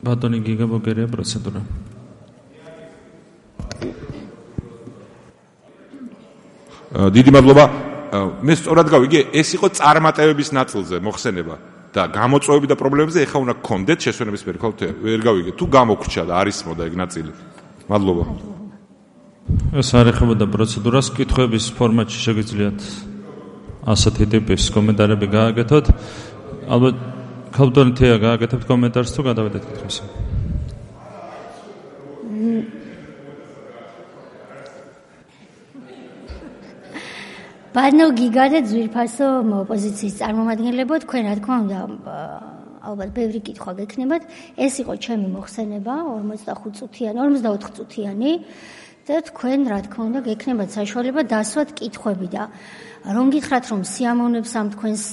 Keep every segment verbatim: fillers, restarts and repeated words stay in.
ბატონი გიგა ბოგერია პროცედურა. დიდი მადლობა. მე სწორად გავიგე, ეს იყო წარმატებების ნაწილზე მოხსენება და გამოწვევები და პრობლემებზე ეხა უნდა გქონდეთ შესვენების მიერ, ხო? ვერ გავიგე. თუ გამოგრჩა და არის მოდა ეგ ნაწილი. მადლობა. ეს არ ეხებოდა პროცედურას, კითხვების ფორმატში შეგიძლიათ ასეთი ტიპის კომენტარები გააკეთოთ. ალბათ ქალბატონი თეა გააკეთებთ კომენტარს თუ გადავედეთ კითხვაზე. ბანო გიგა და ძვირფასო ოპოზიციის წარმომადგენლებო, თქვენ რა თქმა უნდა ალბათ ბევრი კითხვა გექნებათ. ეს იყო ჩემი მოხსენება ორმოცდახუთ წუთიანი, ორმოცდაოთხ წუთიანი და თქვენ რა თქმა უნდა გექნებათ საშუალება დასვათ კითხვები და რომ გითხრათ რომ სიამოვნებს ამ თქვენს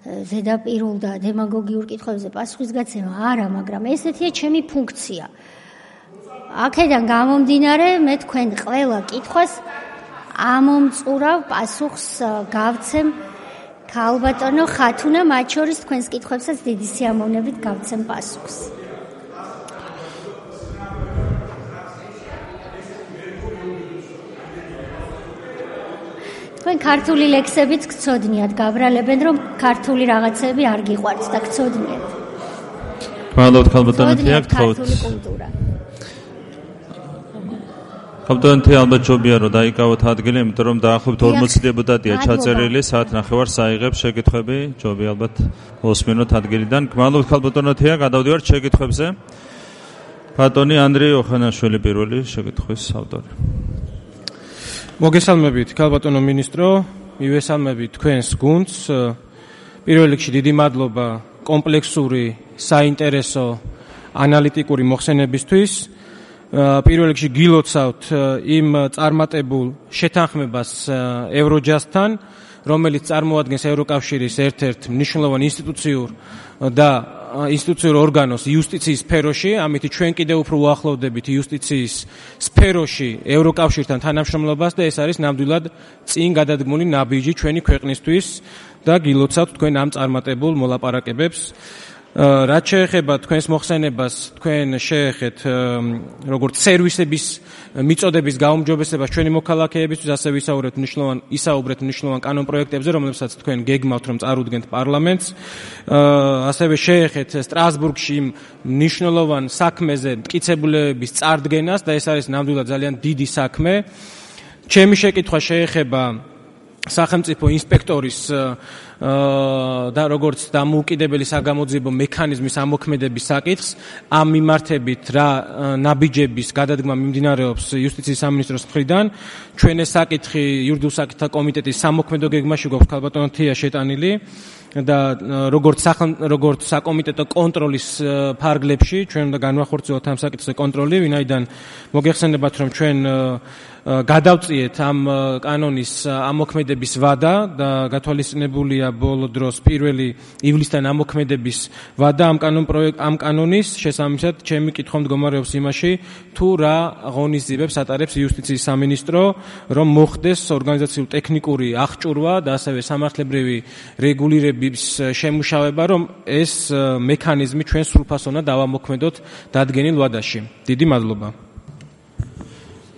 ზედაპირულ და დემაგოგიურ კითხვებზე პასუხისგაცემა არა, მაგრამ ესეთია ჩემი ფუნქცია. აქედან გამომდინარე მე თქვენ ყველა კითხვას ამომწურავ პასუხს გავცემ ქალბატონო ხათუნა, მათ შორის თქვენს კითხვებსაც დიდი სიამოვნებით გავცემ პასუხს. თქვენ ქართული ლექსებიც გწოდნიათ, გაბრალებენ რომ ქართული რაღაცები არ გიყვართ და გწოდნიათ. მადლობთ ქალბატონო თეა, გთხოვთ. ქალბატონო თეა, ალბათ ჯობია რომ დაიკავოთ ადგილი, იმიტომ რომ დაახლოებით ორმოცი დეპუტატია ჩაწერილი, საათ ნახევარს აიღებს შეკითხვები, ჯობია ალბათ მოსმინოთ ადგილიდან. მადლობთ ქალბატონო თეა, გადავდივართ შეკითხვებზე. ბატონი ანდრეი ოხანაშვილი პირველი შეკითხვის ავტორი. მოგესალმებით ქალბატონო მინისტრო, მივესალმებით თქვენს გუნდს. პირველ რიგში დიდი მადლობა კომპლექსური, საინტერესო, ანალიტიკური მოხსენებისთვის. პირველ რიგში გილოცავთ იმ წარმატებულ შეთანხმებას ევროჯასტთან, რომელიც წარმოადგენს ევროკავშირის ერთ-ერთ მნიშვნელოვან ინსტიტუციურ და ინსტიტუციურ ორგანოს იუსტიციის სფეროში, ამით ჩვენ კიდევ უფრო უახლოვდებით იუსტიციის სფეროში ევროკავშირთან თანამშრომლობას და ეს არის ნამდვილად წინ გადადგმული ნაბიჯი ჩვენი ქვეყნისთვის და გილოცავთ თქვენ ამ წარმატებულ მოლაპარაკებებს. რაც შეეხება თქვენს მოხსენებას, თქვენ შეეხეთ როგორც სერვისების მიწოდების გაუმჯობესებას ჩვენი მოქალაქეებისთვის, ასევე ისაუბრეთ მნიშვნელოვან ისაუბრეთ მნიშვნელოვან კანონპროექტებზე, რომლებსაც თქვენ გეგმავთ რომ წარუდგენთ პარლამენტს. ასევე შეეხეთ სტრასბურგში მნიშვნელოვან საქმეზე მტკიცებულებების წარდგენას და ეს არის ნამდვილად ძალიან დიდი საქმე. ჩემი შეკითხვა შეეხება სახელმწიფო ინსპექტორის და როგორც დამოუკიდებელი საგამოძიებო მექანიზმის ამოქმედების საკითხს, ამ მიმართებით რა ნაბიჯების გადადგმა მიმდინარეობს იუსტიციის სამინისტროს მხრიდან. ჩვენ ეს საკითხი იურიდიულ საკითხთა კომიტეტის სამოქმედო გეგმაში გვაქვს ქალბატონო თეა შეტანილი და როგორც როგორც საკომიტეტო კონტროლის ფარგლებში ჩვენ უნდა განვახორციელოთ ამ საკითხზე კონტროლი, ვინაიდან მოგეხსენებათ რომ ჩვენ გადავწიეთ ამ კანონის ამოქმედების ვადა და გათვალისწინებულია ბოლო დროს პირველი ივლისთან ამოქმედების ვადა ამ კანონ პროექტ ამ კანონის შესაბამისად ჩემი კითხვა მდგომარეობს იმაში თუ რა ღონისძიებებს ატარებს იუსტიციის სამინისტრო რომ მოხდეს ორგანიზაციულ ტექნიკური აღჭურვა და ასევე სამართლებრივი რეგულირების შემუშავება რომ ეს მექანიზმი ჩვენ სრულფასოვნად დავამოქმედოთ დადგენილ ვადაში. დიდი მადლობა.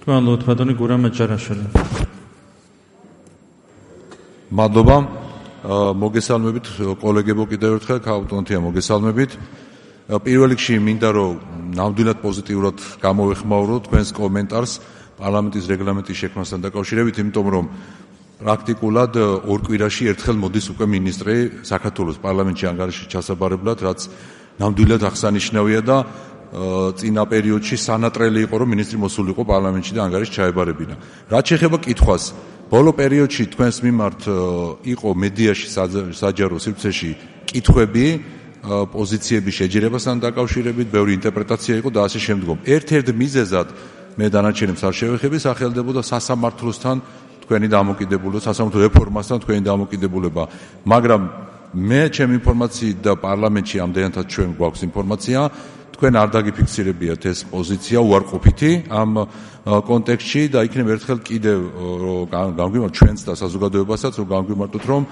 მადლობთ ბატონი გურამ ჯარაშვილი. მადლობა. მოგესალმებით კოლეგებო კიდევ ერთხელ, ქალბატონო თეა მოგესალმებით. პირველ რიგში მინდა რომ ნამდვილად პოზიტიურად გამოვეხმაუროთ თქვენს კომენტარს პარლამენტის რეგლამენტის შექმნასთან დაკავშირებით, იმიტომ რომ პრაქტიკულად ორ კვირაში ერთხელ მოდის უკვე მინისტრი საქართველოს პარლამენტში ანგარიში ჩასაბარებლად, რაც ნამდვილად აღსანიშნავია და წინა პერიოდში სანატრელი იყო რომ მინისტრი მოსულიყო პარლამენტში და ანგარიშს ჩაებარებინა. რაც შეეხება კითხვას, ბოლო პერიოდში თქვენს მიმართ იყო მედიაში საჯარო სივრცეში კითხვები პოზიციების შეჯერებასთან დაკავშირებით, ბევრი ინტერპრეტაცია იყო და ასე შემდგომ. ერთ-ერთ მიზეზად მე დანარჩენებს არ შევეხები, სახელდებოდა სასამართლოსთან თქვენი დამოკიდებულება, სასამართლო რეფორმასთან თქვენი დამოკიდებულება, მაგრამ მე ჩემი ინფორმაციით და პარლამენტში ამდენადაც ჩვენ გვაქვს ინფორმაცია, თქვენ არ დაგიფიქსირებიათ ეს პოზიცია უარყოფითი ამ კონტექსტში და იქნებ ერთხელ კიდევ გამგვიმართ ჩვენს და საზოგადოებასაც რომ გამგვიმართოთ რომ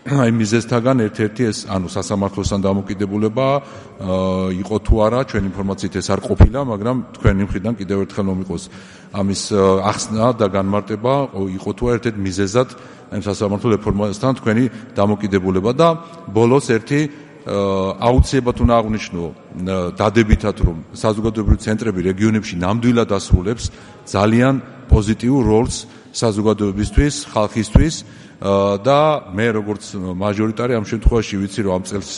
აი მიზეზთაგან ერთ-ერთი ეს ანუ სასამართლოსთან დამოკიდებულება იყო თუ არა ჩვენ ინფორმაციით ეს არ ყოფილა, მაგრამ თქვენი მხრიდან კიდევ ერთხელ მომიყოს ამის ახსნა და განმარტება იყო თუ არა ერთ-ერთი მიზეზად ამ სასამართლო რეფორმასთან თქვენი დამოკიდებულება და ბოლოს ერთი აუცილებლად უნდა აღვნიშნო დადებითად რომ საზოგადოებრივი ცენტრები რეგიონებში ნამდვილად ასრულებს ძალიან პოზიტიურ როლს საზოგადოებისთვის, ხალხისთვის და მე როგორც მაჟორიტარი ამ შემთხვევაში ვიცი რომ ამ წელს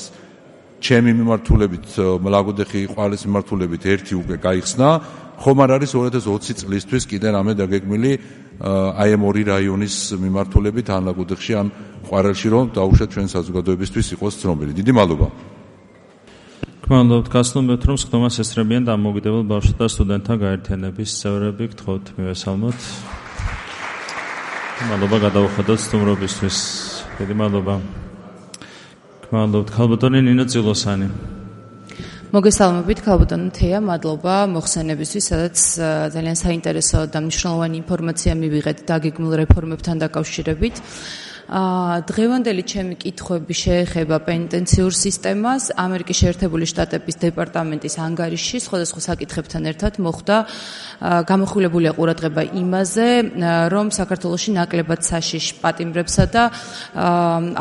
ჩემი მიმართულებით მლაგოდეხი ყვალის მიმართულებით ერთი უკვე გაიხსნა, ხომ არ არის ორი ათას ოცი წლისთვის კიდე რამე დაგეგმილი აი ამ ორი რაიონის მიმართულებით ან ლაგოდეხში ან ყვარელში რომ დაუშვათ ჩვენ საზოგადოებისთვის იყოს ცნობილი. დიდი მადლობა. გმადლობთ გასწრებთ რომ სხდომას ესწრებიან დამოუკიდებელ ბავშვთა და სტუდენტთა გაერთიანების წევრები, გთხოვთ მივესალმოთ. მადლობა გადავუხედოთ სტუმრობისთვის. დიდი მადლობა. გმადლობთ ქალბატონი ნინო წილოსანი. მოგესალმებით ქალბატონო თეა, მადლობა მოხსენებისთვის, სადაც ძალიან საინტერესო და მნიშვნელოვანი ინფორმაცია მივიღეთ დაგეგმილ რეფორმებთან დაკავშირებით. დღევანდელი ჩემი კითხვები შეეხება პენიტენციურ სისტემას. ამერიკის შეერთებული შტატების დეპარტამენტის ანგარიში სხვადასხვა საკითხებთან ერთად მოხდა გამოხვილებულია ყურადღება იმაზე, რომ საქართველოში ნაკლებად საშიშ პატიმრებსა და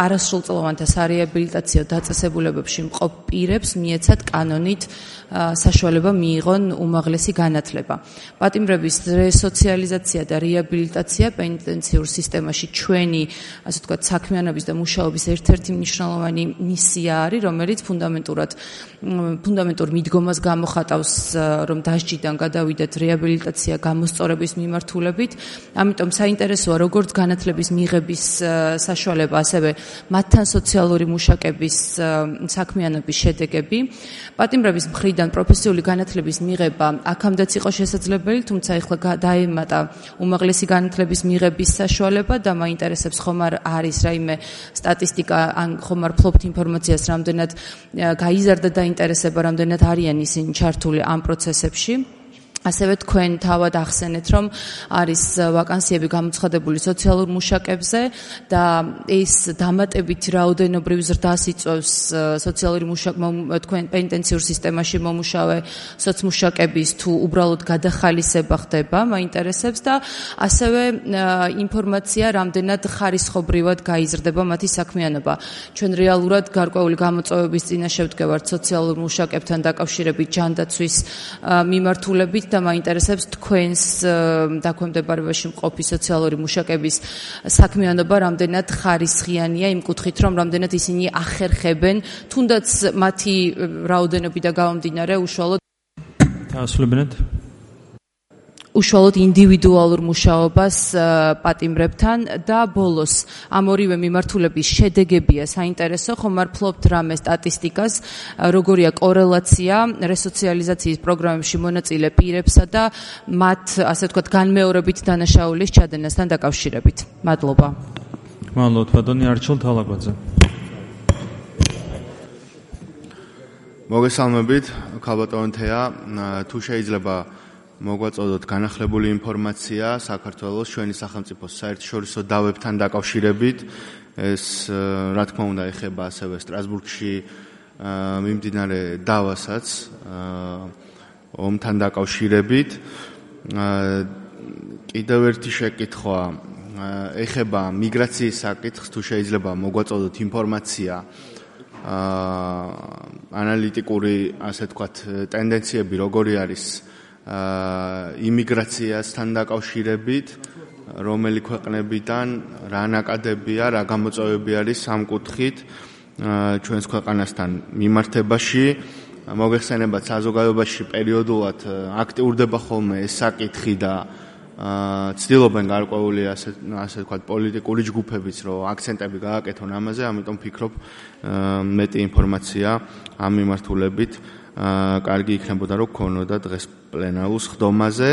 არასრულწლოვანთა სარეაბილიტაციო დაწესებულებებში მყოფ პირებს მიეცათ კანონით საშუალება მიიღონ უმაღლესი განათლება. პატიმრების რესოციალიზაცია და რეაბილიტაცია პენიტენციურ სისტემაში ჩვენი ასე ვთქვათ, საქმიანობის და მუშაობის ერთ-ერთი მნიშვნელოვანი მისია არის, რომელიც ფუნდამენტურად ფუნდამენტურ მიდგომას გამოხატავს, რომ დასჯიდან გადავიდეთ რეაბილიტაცია გამოსწორების მიმართულებით. ამიტომ საინტერესოა როგორც განათლების მიღების საშუალება, ასევე მათთან სოციალური მუშაკების საქმიანობის შედეგები. პატიმრების მხრიდან პროფესიული განათლების მიღება აქამდეც იყო შესაძლებელი, თუმცა ეხლა დაემატა უმაღლესი განათლების მიღების საშუალება და მაინტერესებს ხომ არ არის რაიმე სტატისტიკა ან ხომ არ ფლობთ ინფორმაციას, რამდენად გაიზარდა დაინტერესება, რამდენად არიან ისინი ჩართული ამ პროცესებში. ასევე თქვენ თავად ახსენეთ, რომ არის ვაკანსიები გამოცხადებული სოციალურ მუშაკებზე და ეს დამატებით რაოდენობრივ ზრდას იწვევს სოციალური მუშაკ თქვენ პენიტენციურ სისტემაში მომუშავე სოცმუშაკების თუ უბრალოდ გადახალისება ხდება, მაინტერესებს და ასევე ინფორმაცია, რამდენად ხარისხობრივად გაიზრდება მათი საქმიანობა. ჩვენ რეალურად გარკვეული გამოწვევების წინაშე ვდგევართ სოციალურ მუშაკებთან დაკავშირებით ჯანდაცვის მიმართულებით და მაინტერესებს თქვენს დაქვემდებარებაში მყოფი სოციალური მუშაკების საქმიანობა რამდენად ხარისხიანია იმ კუთხით, რომ რამდენად ისინი ახერხებენ თუნდაც მათი რაოდენობით და გამომდინარე უშუალოდ დაასრულებინეთ უშუალოდ ინდივიდუალურ მუშაობას პატიმრებთან და ბოლოს ამ ორივე მიმართულების შედეგებია საინტერესო, ხომ არ ფლობთ რამე სტატისტიკას, როგორია კორელაცია რესოციალიზაციის პროგრამებში მონაწილე პირებსა და მათ, ასე ვთქვათ, განმეორებით დანაშაულის ჩადენასთან დაკავშირებით. მადლობა. მადლობთ, ბატონი არჩილ თალაკვაძე. მოგესალმებით, ქალბატონო თეა, თუ შეიძლება მოგვაწოდოთ განახლებული ინფორმაცია საქართველოს ჩვენი სახელმწიფოს საერთაშორისო დავებთან დაკავშირებით. ეს რა თქმა უნდა ეხება ასევე სტრასბურგში მიმდინარე დავასაც ომთან დაკავშირებით. კიდევ ერთი შეკითხვა ეხება მიგრაციის საკითხს, თუ შეიძლება მოგვაწოდოთ ინფორმაცია ანალიტიკური, ასე ვთქვათ, ტენდენციები როგორი არის იმიგრაციასთან დაკავშირებით, რომელი ქვეყნებიდან რა ნაკადებია, რა გამოწვევები არის ამ კუთხით ჩვენს ქვეყანასთან მიმართებაში. მოგეხსენებათ, საზოგადოებაში პერიოდულად აქტიურდება ხოლმე ეს საკითხი და ცდილობენ გარკვეული ასე ასე ვთქვათ პოლიტიკური ჯგუფებიც, რომ აქცენტები გააკეთონ ამაზე, ამიტომ ვფიქრობ მეტი ინფორმაცია ამ მიმართულებით კარგი იქნებოდა რომ გქონოდა დღეს პლენარულ სხდომაზე.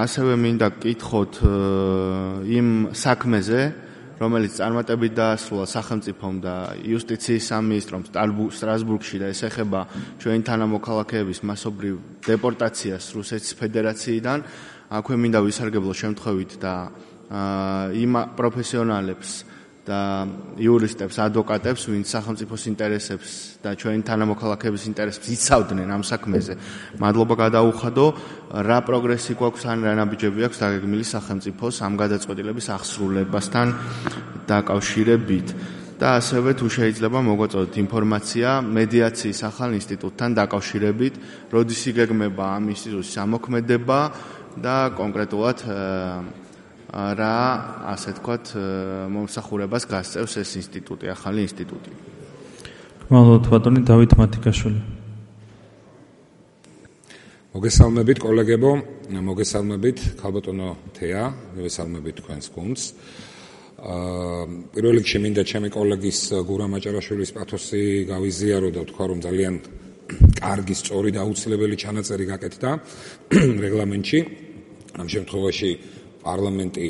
ასევე მინდა გკითხოთ იმ საქმეზე, რომელიც წარმატებით დაასრულა სახელმწიფომ და იუსტიციის სამინისტრომ სტრასბურგში და ეს ეხება ჩვენი თანამოქალაქეების მასობრივ დეპორტაციას რუსეთის ფედერაციიდან. აქვე მინდა ვისარგებლო შემთხვევით და იმ პროფესიონალებს და იურისტებს, ადვოკატებს, ვინც სახელმწიფოს ინტერესებს და ჩვენი თანამოქალაქეების ინტერესებს იცავდნენ ამ საქმეზე. მადლობა გადაუხადო, რა პროგრესი გვაქვს ან რა ნაბიჯები აქვს დაგეგმილი სახელმწიფოს ამ გადაწყვეტილების აღსრულებასთან დაკავშირებით. და ასევე თუ შეიძლება მოგაწოდოთ ინფორმაცია მედიაციის ახალ ინსტიტუტთან დაკავშირებით, როდის იგეგმება ამ ინსტიტუტის ამოქმედება და კონკრეტულად რა, ასე თქვათ, მომსახურებას გასწევს ეს ინსტიტუტი, ახალი ინსტიტუტი. გმადლობთ ბატონი დავით მათიკაშვილი. მოგესალმებით კოლეგებო, მოგესალმებით ქალბატონო თეა, მოგესალმებით თქვენს გუნდს. პირველ რიგში მინდა ჩემი კოლეგის გურამ აჭარაშვილის პათოსი გავიზიარო და ვთქვა, რომ ძალიან კარგი, სწორი და აუცილებელი ჩანაწერი გაკეთდა რეგლამენტში. ამ შემთხვევაში პარლამენტი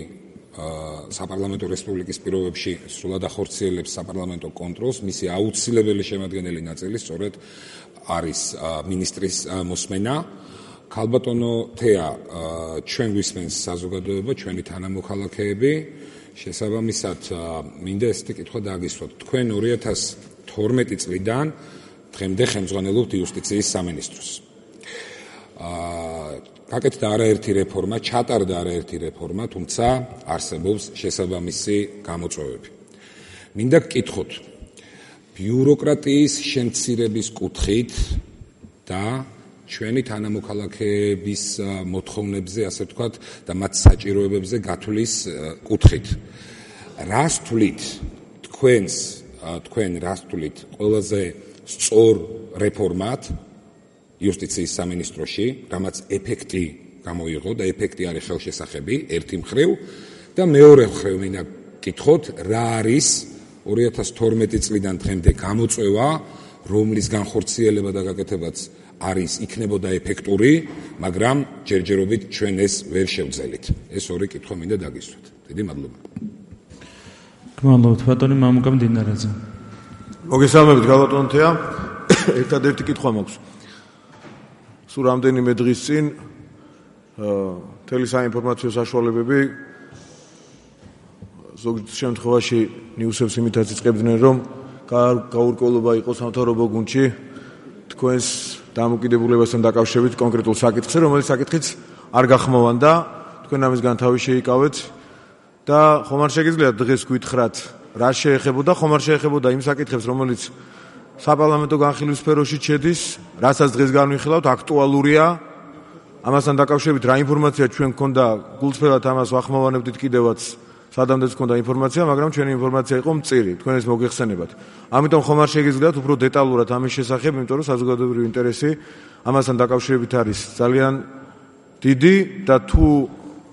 საპარლამენტო რესპუბლიკის პირობებში სრულად ახორციელებს საპარლამენტო კონტროლს, მისი აუცილებელი შემადგენელი ნაწილი სწორედ არის მინისტრის მოსმენა. ქალბატონო თეა, ჩვენ გვისმენს საზოგადოება, ჩვენი თანამოქალაქეები, შესაბამისად მინდა ესეთი კითხვა დააგისვათ. თქვენ ორი ათას თორმეტი წლიდან დღემდე ხელმძღვანელობთ იუსტიციის სამინისტროს. გაკეთდა არაერთი რეფორმა, ჩატარდა არაერთი რეფორმა, თუმცა არსებობს შესაბამისი გამოწვევები. მინდა გკითხოთ, ბიუროკრატიის შემცირების კუთხით და ჩვენი თანამოქალაქეების მოთხოვნებზე, ასე ვთქვათ, და მათ საჭიროებებზე გათვლის კუთხით. რას თვლით თქვენს, თქვენ რას თვლით ყველაზე სწორ რეფორმად იუსტიციის სამინისტროში, რამაც ეფექტი გამოიღო და ეფექტი არის ხელშესახები ერთი მხრივ და მეორე მხრივ მინდა გკითხოთ, რა არის ორი ათას თორმეტი წლიდან დღემდე გამოწვევა, რომლის განხორციელება და გაკეთებაც არის იქნებოდა ეფექტური, მაგრამ ჯერჯერობით ჩვენ ეს ვერ შევძელით. ეს ორი კითხვა მინდა დაგისვათ. დიდი მადლობა. გმადლობთ ბატონი მამუკა მდინარეძე. მოგესალმებით ქალბატონო თეა. ერთადერთი კითხვა მაქვს. სულ რამდენიმე დღის წინ მთელი საინფორმაციო საშუალებები ზოგ შემთხვევაში ნიუსებს იმითაც იწყებდნენ, რომ გაურკვევლობა იყო სამთავრობო გუნდში თქვენს დამოკიდებულებასთან დაკავშირებით კონკრეტულ საკითხზე, რომელიც საკითხიც არ გახმოვანდა, თქვენ ამისგან თავი შეიკავეთ და ხომ არ შეგიძლიათ დღეს გვითხრათ, რა შეეხებოდა, ხომ არ შეეხებოდა იმ საკითხებს, რომელიც საპარლამენტო განხილვის სფეროში შედის, რასაც დღეს განვიხილავთ, აქტუალურია, ამასთან დაკავშირებით რა ინფორმაცია ჩვენ გქონდა, გულწრფელად ამას ვახმოვანებდით კიდევაც, სადამდეც გქონდა ინფორმაცია, მაგრამ ჩვენი ინფორმაცია იყო მწირი, თქვენ ეს მოგეხსენებათ. ამიტომ ხომ არ შეგიძლიათ უფრო დეტალურად ამის შესახებ, იმიტომ რომ საზოგადოებრივი ინტერესი ამასთან დაკავშირებით არის ძალიან დიდი და თუ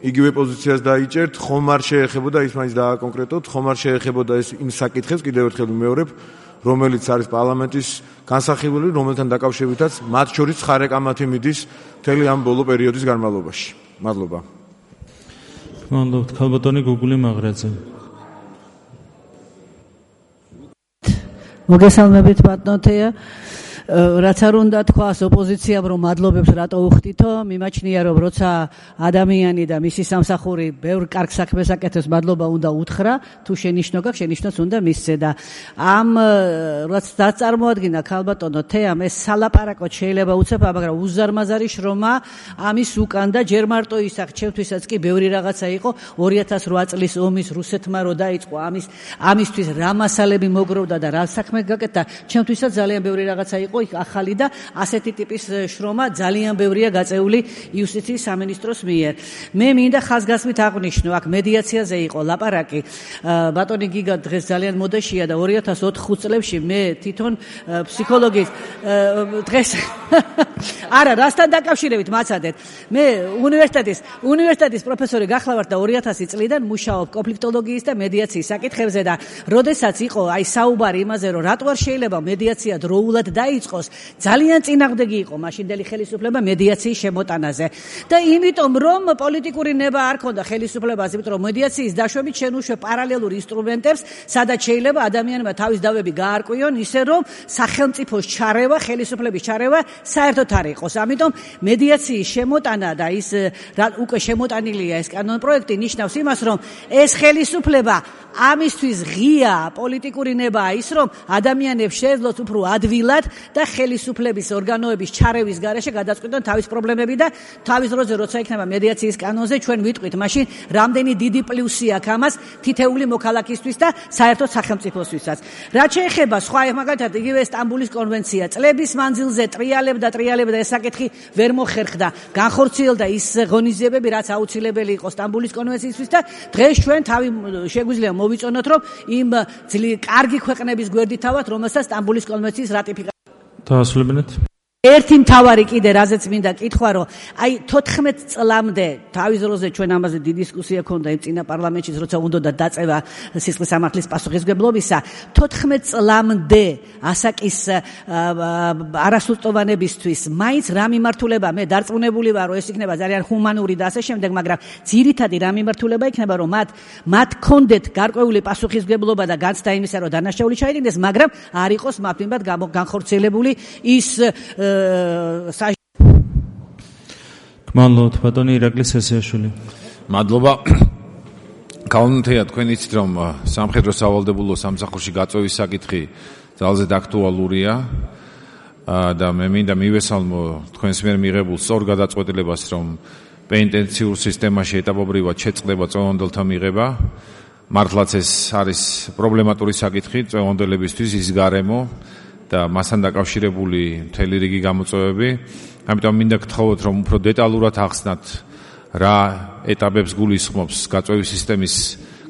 იგივე პოზიციას დაიჭერთ, ხომ არ შეეხებოდა ის მაინც დააკონკრეტოთ, ხომ არ შეეხებოდა ეს იმ საკითხებს, კიდევ ერთხელ ვიმეორებ, რომელიც არის პარლამენტის განსახილველი, რომელთან დაკავშირებითაც მათ შორის ხარეკამათი მიდის მთელი ამ ბოლო პერიოდის განმავლობაში. მადლობა. გმადლობთ ქალბატონი გუგული მაღრაძე. მოგესალმებით ბატონო თეა. რაც არ უნდა თქვას ოპოზიციამ, რომ მადლობებს რატო უხდითო, მიმაჩნია, რომ როცა ადამიანი და მისი სამსახური ბევრ კარგ საქმეს აკეთებს, მადლობა უნდა უთხრა, თუ შენიშნო გაქვს, შენიშნოს უნდა მისცე და ამ რაც დაწარმოადგინა ქალბატონო თეამ, ეს სალაპარაკოდ შეიძლება უცებ, მაგრამ უზარმაზარი შრომა ამის უკან და ჯერ მარტო ისახ, ჩემთვისაც კი ბევრი რაღაცა იყო, ორი ათას რვა წლის ომის რუსეთმა რო დაიწყო, ამის ამისთვის რა მასალები მოგროვდა და რა საქმე გაკეთდა, ჩემთვისაც ძალიან ბევრი რაღაცა იყო იქ ახალი და ასეთი ტიპის შრომა ძალიან ბევრია გაწეული იუსტიციის სამინისტროს მიერ. მე მინდა ხაზგასმით აღვნიშნო, აქ მედიაციაზე იყო ლაპარაკი. ბატონი გიგა დღეს ძალიან მოდაშია და ორი ათას ოთხ წლებში მე თვითონ ფსიქოლოგის დღეს არა, რასთან დაკავშირებით მაცადეთ. მე უნივერსიტეტის უნივერსიტეტის პროფესორი გახლავართ და ორი ათასი წლიდან მუშაობ კონფლიქტოლოგიის და მედიაციის საკითხებზე და როდესაც იყო აი საუბარი იმაზე, რომ რატო არ შეიძლება მედიაცია დროულად დაიწყოს, ძალიან წინააღმდეგი იყო მაშინდელი ხელისუფლება მედიაციის შემოტანაზე. და იმიტომ რომ პოლიტიკური ნება არ ქონდა ხელისუფლებას, იმიტომ რომ მედიაციის დაშვებით შენ უშვებ პარალელურ ინსტრუმენტებს, სადაც შეიძლება ადამიანმა თავის დავები გაარკვიონ, ისე რომ სახელმწიფოს ჩარევა, ხელისუფლების ჩარევა საერთოდ არ იყოს. ამიტომ მედიაციის შემოტანა და ის უკვე შემოტანილია ეს კანონპროექტი ნიშნავს იმას, რომ ეს ხელისუფლება ამისთვის ღია პოლიტიკური ნებაა ის, რომ ადამიანებს შეეძლოთ უფრო ადვილად და ხელისუფლების ორგანოების ჩარევის გარეშე გადაწყვიტონ თავის პრობლემები და თავის დროზე როცა იქნება მედიაციის კანონზე ჩვენ ვიტყვით, მაშინ რამდენი დიდი პლუსი აქვს ამას თითეული მოქალაქისთვის და საერთოდ სახელმწიფოსთვისაც. რაც შეეხება სხვა მაგალითად იგივე სტამბულის კონვენცია წლების მანძილზე ტრიალებდა ტრიალებდა ეს საკითხი ვერ მოხერხდა, განხორციელდა ის ღონისძიებები, რაც აუცილებელი იყო სტამბულის კონვენციისთვის და დღეს ჩვენ თავი შეგვიძლია მოვიწონოთ, რომ იმ ძლიერი კარგი ქვეყნების გვერდით ავთ, რომელსაც სტამბულის კონვენციის რატიფიკაცია დაასრულებინეთ. ერთი მთავარი კიდე რაზეც მინდა კითხვა, რომ აი თოთხმეტ წლამდე თავის დროზე ჩვენ ამაზე დიდი დისკუსია ქონდა იმ წინა პარლამენტში, როცა უნდა დაწევა სისხლის სამართლის პასუხისმგებლობისა, თოთხმეტ წლამდე ასაკის არასრულწლოვანებისთვის მაინც რა მიმართულება, მე დარწმუნებული ვარ, რომ ეს იქნება ძალიან ჰუმანური და ასე შემდეგ, მაგრამ ძირითადი რა მიმართულება იქნება, რომ მათ მათ კონდეთ გარკვეული პასუხისმგებლობა და განცდა იმისა, რომ დანაშაული ჩაიდინეს, მაგრამ არ იყოს მათ მიმართ განხორციელებული ის მადლობთ ბატონი ირაკლი სესიაშვილი. მადლობა. კანონთეა თქვენ იცით რომ სამხედრო სავალდებულო სამსახურში გაწევის საკითხი ძალზედ აქტუალურია და მე მინდა მივესალმო თქვენს მიერ მიღებულ სწორ გადაწყვეტილებას, რომ პენიტენციურ სისტემაში ეტაპობრივად შეწყდება წევანდელთა მიღება. მართლაც ეს არის პრობლემატური საკითხი წევანდებისთვის, ის გარემო და მასთან დაკავშირებული მთელი რიგი გამოწვევები. ამიტომ მინდა გთხოვოთ, რომ უფრო დეტალურად ახსნათ რა ეტაპებს გულისხმობს გაწევის სისტემის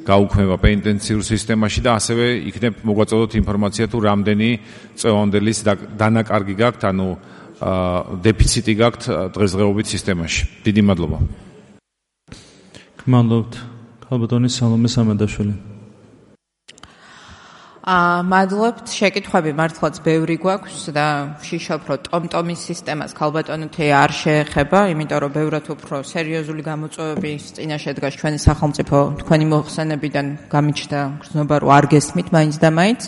გაუქმება პენიტენციურ სისტემაში და ასევე იქნებ მოგვაწოდოთ ინფორმაცია თუ რამდენი წევანდილის დანაკარგი გაქვთ, ანუ დეფიციტი გაქვთ დღესდღეობით სისტემაში. დიდი მადლობა. მადლობთ. ქალბატონი სალომე სამედაშვილი. აა მადლობთ, შეკითხვები მართლაც ბევრი გვაქვს და ვშიშობ, რომ ტომტომის სისტემას ქალბატონო თეა არ შეეხება, იმიტომ რომ ბევრად უფრო სერიოზული გამოწვევების წინაშე დგას ჩვენი სახელმწიფო თქვენი მოხსენებიდან გამიჩნდა გრძნობა, რომ არ გესმით მაინც და მაინც.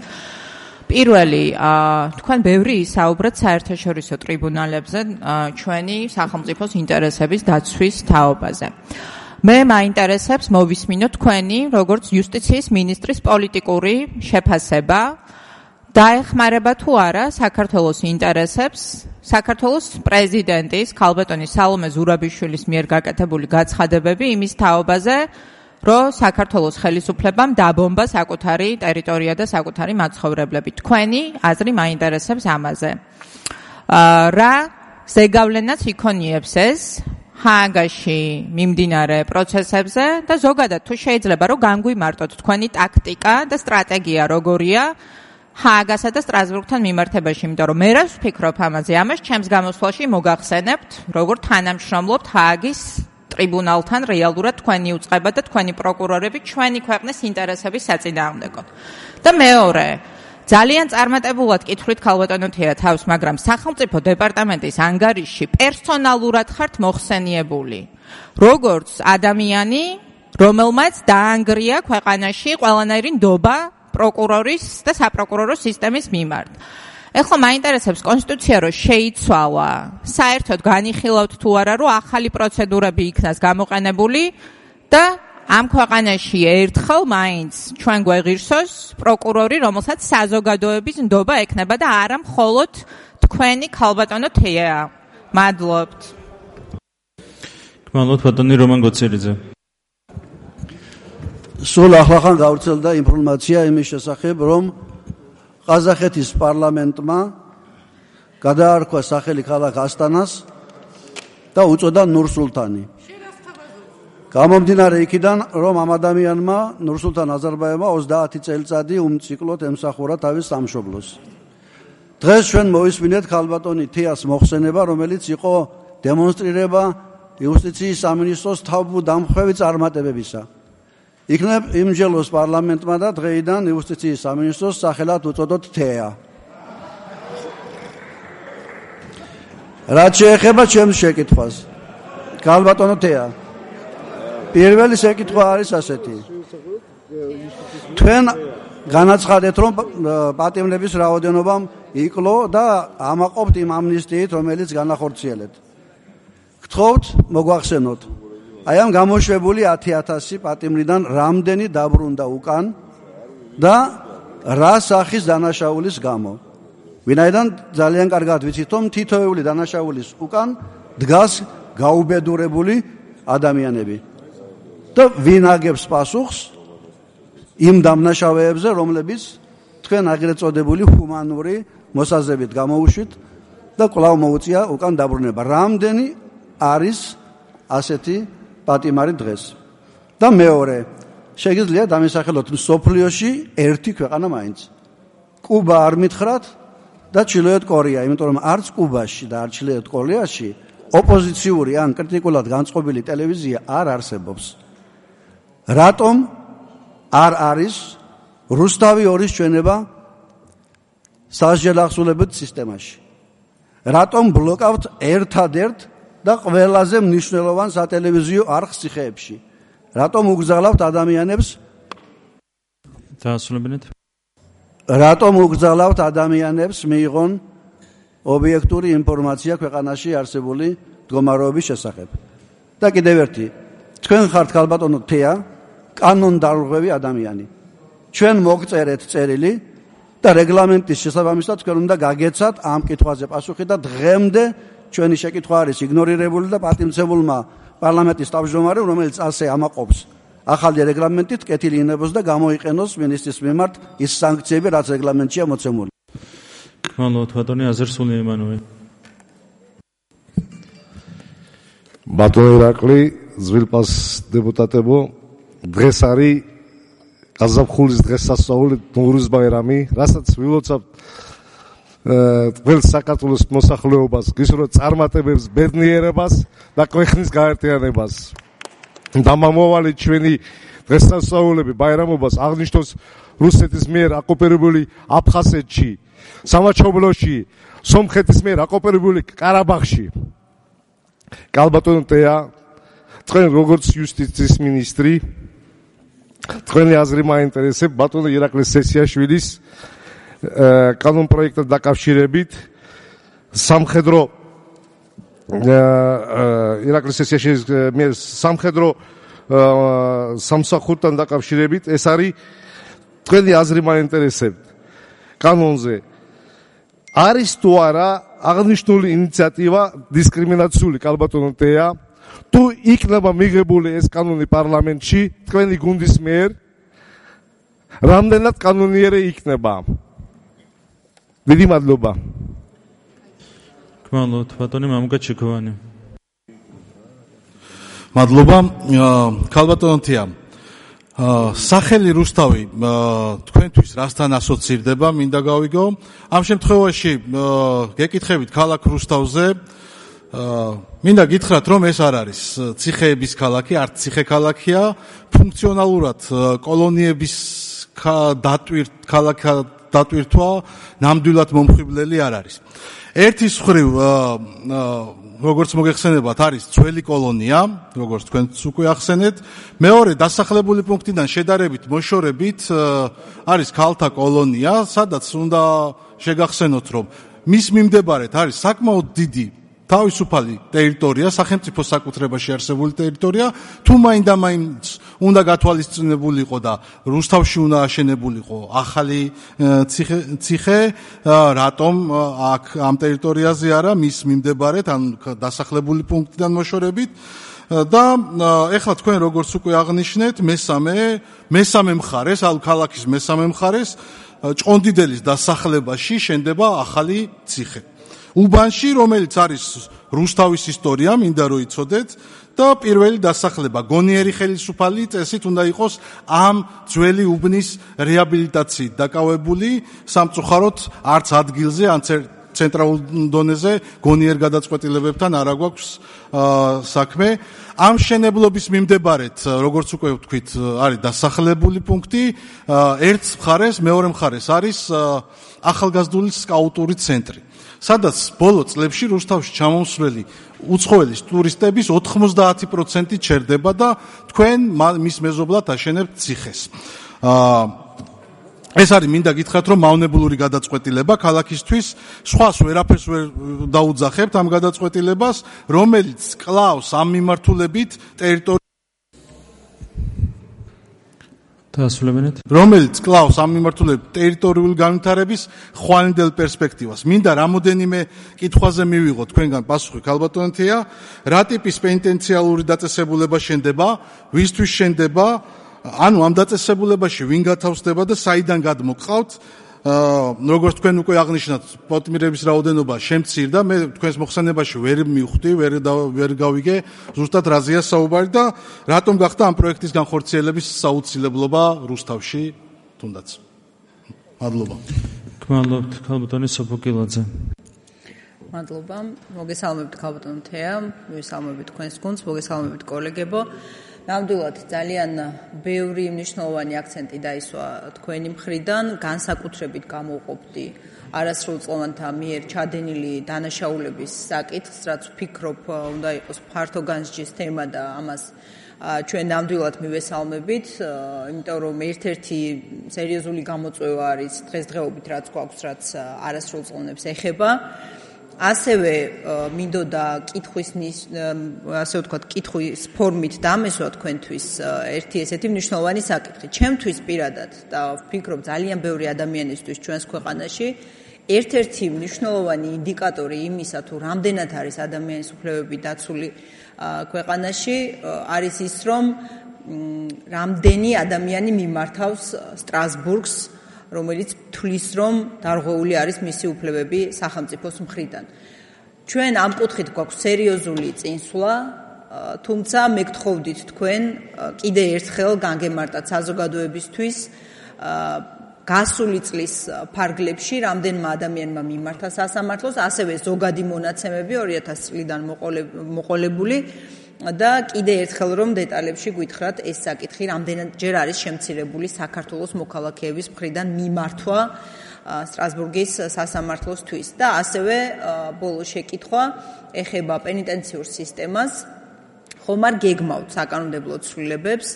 პირველი, აა თქვენ ბევრი ისაუბრეთ საერთაშორისო ტრიბუნალებზე ჩვენი სახელმწიფოს ინტერესების დაცვის თაობაზე. მე მაინტერესებს მოვისმინოთ თქვენი როგორც იუსტიციის მინისტრის პოლიტიკური შეფასება, დაეხმარება თუ არა საქართველოს ინტერესებს საქართველოს პრეზიდენტის ქალბატონი სალომე ზურაბიშვილის მიერ გაკეთებული გაცხადებები იმის თაობაზე, რომ საქართველოს ხელისუფლებამ დაბომბა საკუთარი ტერიტორია და საკუთარი მაცხოვრებლები. თქვენი აზრი მაინტერესებს ამაზე. რა ზეგავლენაც იქონიებს ეს ჰააგაში მიმდინარე პროცესებზე და ზოგადად თუ შეიძლება რომ განგვიმარტოთ თქვენი ტაქტიკა და სტრატეგია როგორია ჰააგასა და სტრასბურგთან მიმართებაში, იმიტომ რომ მე რას ვფიქრობ ამაზე, ამას ჩემს გამოსვლაში მოგახსენებთ, როგორ თანამშრომლობთ ჰააგის ტრიბუნალთან რეალურად თქვენი უწყება და თქვენი პროკურორები ჩვენი ქვეყნის ინტერესების საწინააღმდეგოდ. და მეორე, ძალიან წარმატებულად კითხვით ქალბატონო თეა თავს, მაგრამ სახელმწიფო დეპარტამენტის ანგარიშში პერსონალურად ხართ მოხსენიებული, როგორც ადამიანი, რომელმაც დაანგრია ქვეყანაში ყველანაირი ნდობა პროკურორის და საპროკურორო სისტემის მიმართ. ეხლა მაინტერესებს კონსტიტუცია რო შეიცვალა, საერთოდ განიხილავთ თუ არა, რომ ახალი პროცედურები იქნას გამოყენებული და ამ ქვეყანაში ერთხელ მაინც ჩვენ გვეღირსოს პროკურორი, რომელსაც საზოგადოების ნდობა ექნება და არა მხოლოდ თქვენი ქალბატონო თეა. მადლობთ. მადლობთ ბატონი რომან გოცერიძე. სულ ახლახან გავრცელდა ინფორმაცია იმის შესახებ, რომ ყაზახეთის პარლამენტმა გადაარქვა სახელი ქალაქ ასტანას და უწოდა ნურ-სულთანი. გამომდინარე იქიდან, რომ ამ ადამიანმა ნურ-სულთან აზერბაიჯანმა ოცდაათი წელიწადი უმციკლოდ ემსახურა თავის სამშობლოს. დღეს ჩვენ მოვისმინეთ ქალბატონი თეას მოხსენება, რომელიც იყო დემონსტრირება იუსტიციის სამინისტროს თავდამხვევი წარმატებებისა. იქნებ იმჯელოს პარლამენტმა და დღეიდან იუსტიციის სამინისტროს სახელად უწოდოთ თეა. რაც შეეხება ჩემს შეკითხვას, ქალბატონო თეა, პირველი შეკითხვა არის ასეთი. თქვენ განაცხადეთ, რომ პატიმრების რაოდენობამ იკლო და ამაყობთ იმ ამნისტიით, რომელიც განახორციელეთ. გთხოვთ, მოგვახსენოთ. აი ამ გამოშვებული ათი ათასი პატიმრიდან რამდენი დაბრუნდა უკან და რა სახის დანაშაულის გამო. ვინაიდან ძალიან კარგად ვიცით, რომ თითოეული დანაშაულის უკან დგას გაუბედურებული ადამიანები. და ვინ აგებს პასუხს იმ დამნაშავეებზე, რომლებიც თქვენ აგრეთ წოდებული ჰუმანური მოსაზრებით გამოუშვით და კვლავ მოუწია უკან დაბრუნება. რამდენი არის ასეთი პატიმარი დღეს? და მეორე, შეგიძლიათ დამისახელოთ მსოფლიოში ერთი ქვეყანა მაინც. კუბა არ მითხრათ და ჩრდილოეთ კორეა, იმიტომ რომ არც კუბაში და არც ჩრდილოეთ კორეაში ოპოზიციური ან კრიტიკულად განწყობილი ტელევიზია არ არსებობს. რატომ არ არის რუსთავი ორის ჩვენება სასჯელახსულებთ სისტემაში? რატომ ბლოკავთ ერთადერთ და ყველაზე მნიშვნელოვან სატელევიზიო არხს ციხეებში? რატომ უგზავნავთ ადამიანებს? დაასრულებინეთ. რატომ უგზავნავთ ადამიანებს მიიღონ ობიექტური ინფორმაცია ქვეყანაში არსებული მდგომარეობის შესახებ? და კიდევ ერთი, თქვენ ხართ ქალბატონო თეა, კანონდარღვევი ადამიანი. ჩვენ მოგწერეთ წერილი და რეგლამენტის შესაბამისად თქვენ უნდა გაგეცათ ამ კითხვაზე პასუხი და დღემდე ჩვენი შეკითხვა არის იგნორირებული და პატიმცებულმა პარლამენტის თავმჯდომარემ, რომელიც ასე ამაყობს ახალი რეგლამენტით, კეთილი ინებოს და გამოიყენოს მინისტრის მიმართ ის სანქციები, რაც რეგლამენტშია მოცემული. მადლობთ, ბატონი აზერსული ემანუელ. ბატონო ირაკლი, ძვირფას დეპუტატებო, დღეს არის გაზაფხულის დღესასწაული ნოვრუზ ბაირამი, რასაც ვილოცავთ ყველ საქართველოს მოსახლეობას, გისურვებთ წარმატებებს, ბედნიერებას და ქვეყნის გაერთიანებას. დამამოვალი ჩვენი დღესასწაულები ბაირამობას აღნიშნავს რუსეთის მიერ ოკუპირებული აფხაზეთში, სამაჩაბლოში, სომხეთის მიერ ოკუპირებული ყარაბაღში. კალბატონო თეა, თქვენ როგორც იუსტიციის მინისტრი, თქვენი აზრი მაინტერესებს ბატონო ირაკლი სესიაშვილის კანონ პროექტთან დაკავშირებით სამხედრო ირაკლი სესიაშვილის მიერ სამხედრო სამსახურთან დაკავშირებით ეს არის თქვენი აზრი მაინტერესებს კანონზე. არის თუ არა აღნიშნული ინიციატივა დისკრიმინაციული კალბატონო თეა? თუ იქნება მიღებული ეს კანონი პარლამენტში თქვენი გუნდის მიერ, რამდენად კანონიერი იქნება? დიდი მადლობა. გმადლობთ, ბატონი მამუკა ჩიქოვანი. მადლობა, ქალბატონო თეა. სახელი რუსთავი თქვენთვის რასთან ასოცირდება, მინდა გავიგო. ამ შემთხვევაში გეკითხებით ქალაქ რუსთავზე, მინდა გითხრათ, რომ ეს არ არის ციხეების ქალაქი, არც ციხე ქალაქია, ფუნქციონალურად კოლონიების დატვირთ ქალაქა დატვირთვა ნამდვილად მომხიბვლელი არ არის. ერთის მხრივ როგორც მოგეხსენებათ, არის ძველი კოლონია, როგორც თქვენც უკვე ახსენეთ. მეორე, დასახლებული პუნქტიდან შედარებით მოშორებით არის ქალთა კოლონია, სადაც უნდა შეგახსენოთ, რომ მის მიმდებარედ არის საკმაოდ დიდი თავისუფალი ტერიტორია, სახელმწიფო საკუთრებაში არსებული ტერიტორია, თუ მაინდა-მაინც უნდა გათვალისწინებულიყო და რუსთავში უნდა აშენებულიყო ახალი ციხე, ციხე, რატომ აქ ამ ტერიტორიაზე არა, მის მიმდებარედ, ან დასახლებული პუნქტიდან მოშორებით. და ეხლა თქვენ როგორც უკვე აღნიშნეთ, მესამე, მესამე მხარეს, ალ ქალაქის მესამე მხარეს, ჭყონდიდელის დასახლებაში შენდება ახალი ციხე. უბანში, რომელიც არის რუსთავის ისტორია, მინდა რომ იცოდეთ და პირველი დასახლება, გონიერი ხელისუფალი წესით უნდა იყოს ამ ძველი უბნის რეაბილიტაციით დაკავებული, სამწუხაროდ არც ადგილზე, ან ცენტრალურ დონეზე გონიერ გადაწყვეტილებებთან არ აგვაქვს საქმე. ამ შენებლობის მიმდებარედ, როგორც უკვე ვთქვით, არის დასახლებული პუნქტი, ერთ მხარეს, მეორე მხარეს არის ახალგაზრდული სკაუტური ცენტრი. სადაც ბოლო წლებში რუსთავში ჩამომსვლელი უცხოელი ტურისტების ოთხმოცდაათი პროცენტი ჩერდება და თქვენ მის მეზობლად აშენებთ ციხეს. ეს არის მინდა გითხრათ რომ მავნებელური გადაწყვეტილება ქალაქისთვის სხვას ვერაფერს ვერ დაუძახებთ ამ გადაწყვეტილებას რომელიც კლავს ამ მიმართულებით ტერიტორია დასრულებინეთ რომელიც კლავს ამ მიმართულებით ტერიტორიული განვითარების ხვალინდელ პერსპექტივას. მინდა რამოდენიმე კითხვაზე მივიღოთ თქვენგან პასუხი ქალბატონთია, რა ტიპის პენიტენციალური დაწესებულება შენდება, ვისთვის შენდება, ანუ ამ დაწესებულებაში ვინ გათავსდება და საიდან გადმოყავთ? როგორც თქვენ უკვე აღნიშნათ, პოტმირების რაოდენობა შემცირდა, მე თქვენს მოხსენებაში ვერ მივხვდი, ვერ ვერ გავიგე, ზუსტად რაზეა საუბარი და რატომ გახდა ამ პროექტის განხორციელების საუცილებლობა რუსთავში თუნდაც. მადლობა. გმადლობთ ქალბატონი სოფოკილაძე. მადლობა. მოგესალმებით ქალბატონ თეა, მოგესალმებით თქვენს გუნდს, მოგესალმებით კოლეგებო. ნამდვილად ძალიან ბევრი მნიშვნელოვანი აქცენტი დაისვა თქვენი მხრიდან, განსაკუთრებით გამოვყოფდი არასრულწლოვანთა მიერ ჩადენილი დანაშაულების საკითხს, რაც ვფიქრობ უნდა იყოს ფართო განსჯის თემა და ამას ჩვენ ნამდვილად მივესალმებით, იმიტომ რომ ერთ-ერთი სერიოზული გამოწვევა არის დღესდღეობით რაც გვაქვს, რაც არასრულწლოვანებს ეხება. ასევე მინდოდა კითხვის ასე ვთქვათ, კითხვის ფორმით დამესვა თქვენთვის ერთი ესეთი მნიშვნელოვანი საკითხი. ჩემთვის პირადად და ვფიქრობ ძალიან ბევრი ადამიანისთვის ჩვენს ქვეყანაში ერთ-ერთი მნიშვნელოვანი ინდიკატორი იმისა, თუ რამდენად არის ადამიანის უფლებები დაცული ქვეყანაში, არის ის, რომ რამდენი ადამიანი მიმართავს სტრასბურგს, რომელიც თვლის, რომ დარღვეული არის მისი უფლებები სახელმწიფოს მხრიდან. ჩვენ ამ კუთხით გვაქვს სერიოზული წინსვლა, თუმცა მე გთხოვდით თქვენ კიდე ერთხელ განგემართათ საზოგადოებისთვის გასული წლის ფარგლებში რამდენმა ადამიანმა მიმართა სასამართლოს, ასევე ზოგადი მონაცემები ორი ათასი წლიდან მოყოლებული და კიდე ერთხელ რომ დეტალებში გვითხრათ ეს საკითხი რამდენადჯერ არის შემცირებული საქართველოს მოქალაქეების მხრიდან მიმართვა სტრასბურგის სასამართლოსთვის და ასევე ბოლო შეკითხვა ეხება პენიტენციურ სისტემას. ხომ არ გეგმავთ საკანონმდებლო ცვლილებებს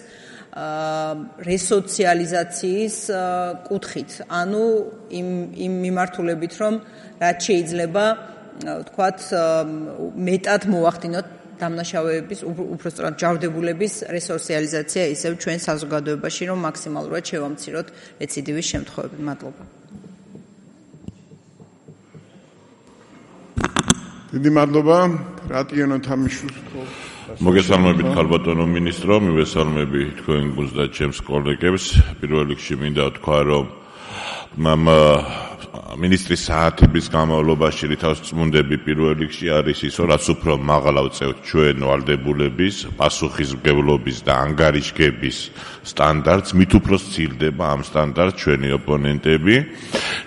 რესოციალიზაციის კუთხით, ანუ იმ იმ მიმართულებით, რომ რაც შეიძლება ვთქვათ მეტად მოახდინოთ დამნაშავეების, უпростоრად ჯავდებულების რესოციალიზაცია ისევ ჩვენ საზოგადოებაში, რომ მაქსიმალურად შევამციროთ რეციდივის შემთხვევები. მადლობა. დიდი მადლობა. რატიონო თამიშვილს მოგესალმებით ქალბატონო მინისტრო, მივესალმები თქვენ გუნდს და ჩემს კოლეგებს. პირველ რიგში მინდა ვთქვა, რომ მამ მინისტრის საათების განმავლობაში რითავს წმუნდები პირველ რიგში არის ის, რაც უფრო მაღლა ვწევთ ჩვენ ვალდებულების, პასუხისმგებლობის და ანგარიშგების სტანდარტს, მით უფრო სცილდება ამ სტანდარტს ჩვენი ოპონენტები.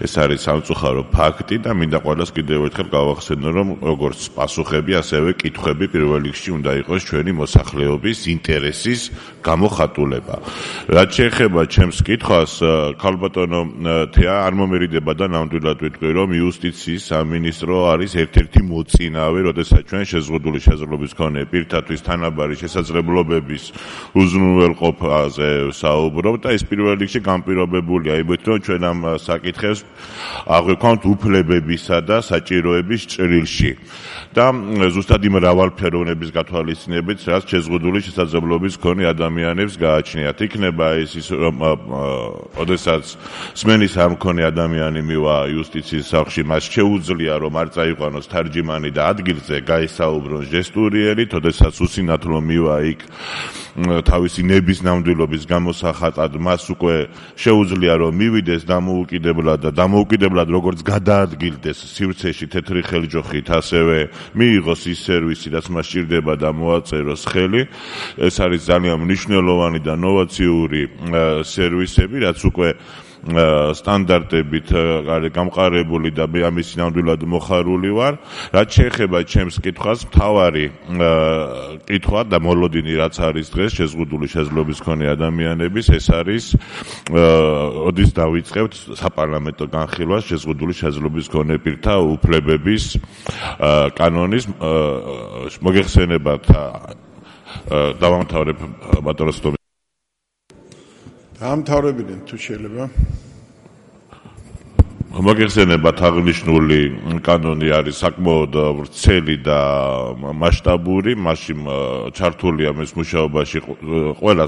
ეს არის სამწუხარო ფაქტი და მინდა ყველას კიდევ ერთხელ გავახსენო, რომ როგორც პასუხები, ასევე კითხვები პირველ რიგში უნდა იყოს ჩვენი მოსახლეობის ინტერესის გამოხატულება. რაც შეეხება ჩემს კითხვას, ქალბატონო თეა არ მომერიდება და ნამდვილად ვიტყვი, რომ იუსტიციის სამინისტრო არის ერთ-ერთი მოწინავე, როდესაც ჩვენ შეზღუდული შესაძლებლობის მქონე პირთათვის თანაბარი შესაძლებლობების უზრუნველყოფაზე საუბრობ და ეს პირველ რიგში განპირობებულია იმით, რომ ჩვენ ამ საკითხებს აღვიქვამთ უფლებებისა და საჭიროების ჭრილში და ზუსტად იმ მრავალფეროვნების გათვალისწინებით, რაც შეზღუდული შესაძლებლობის მქონე ადამიანებს გააჩნიათ. იქნება ეს ის, რომ ოდესაც სმენის არ მქონე ადამიანი მივა იუსტიციის სახლში, მას შეუძლია, რომ არ წაიყვანოს თარჯიმანი და ადგილზე გაესაუბრონ ჟესტურიერით, ოდესაც უსინათლო მივა იქ თავისი ნების ნამდვილობის გამოსახატად, მას უკვე შეუძლია, რომ მივიდეს დამოუკიდებლად და დამოუკიდებლად როგორც გადაადგილდეს სივრცეში თეთრი ხელჯოხით, ასევე მიიღოს ის სერვისი, რაც მას სჭირდება და მოაწეროს ხელი. ეს არის ძალიან მნიშვნელოვანი და ნოვაციური სერვისები, რაც უკვე სტანდარტებით არის გამყარებული და მე ამის ნამდვილად მოხარული ვარ. რაც შეეხება ჩემს კითხვას, მთავარი კითხვა და მოლოდინი რაც არის დღეს შეზღუდული შესაძლებლობის მქონე ადამიანების, ეს არის ოდის დავიწყებთ საპარლამენტო განხილვას შეზღუდული შესაძლებლობის მქონე პირთა უფლებების კანონის მოგეხსენებათ დავამთავრებ ბატონოს დაამთავრებინეთ თუ შეიძლება. მოგეხსენებათ აღნიშნული კანონი არის საკმაოდ ვრცელი და მასშტაბური, მასში ჩართულია მის მუშაობაში ყველა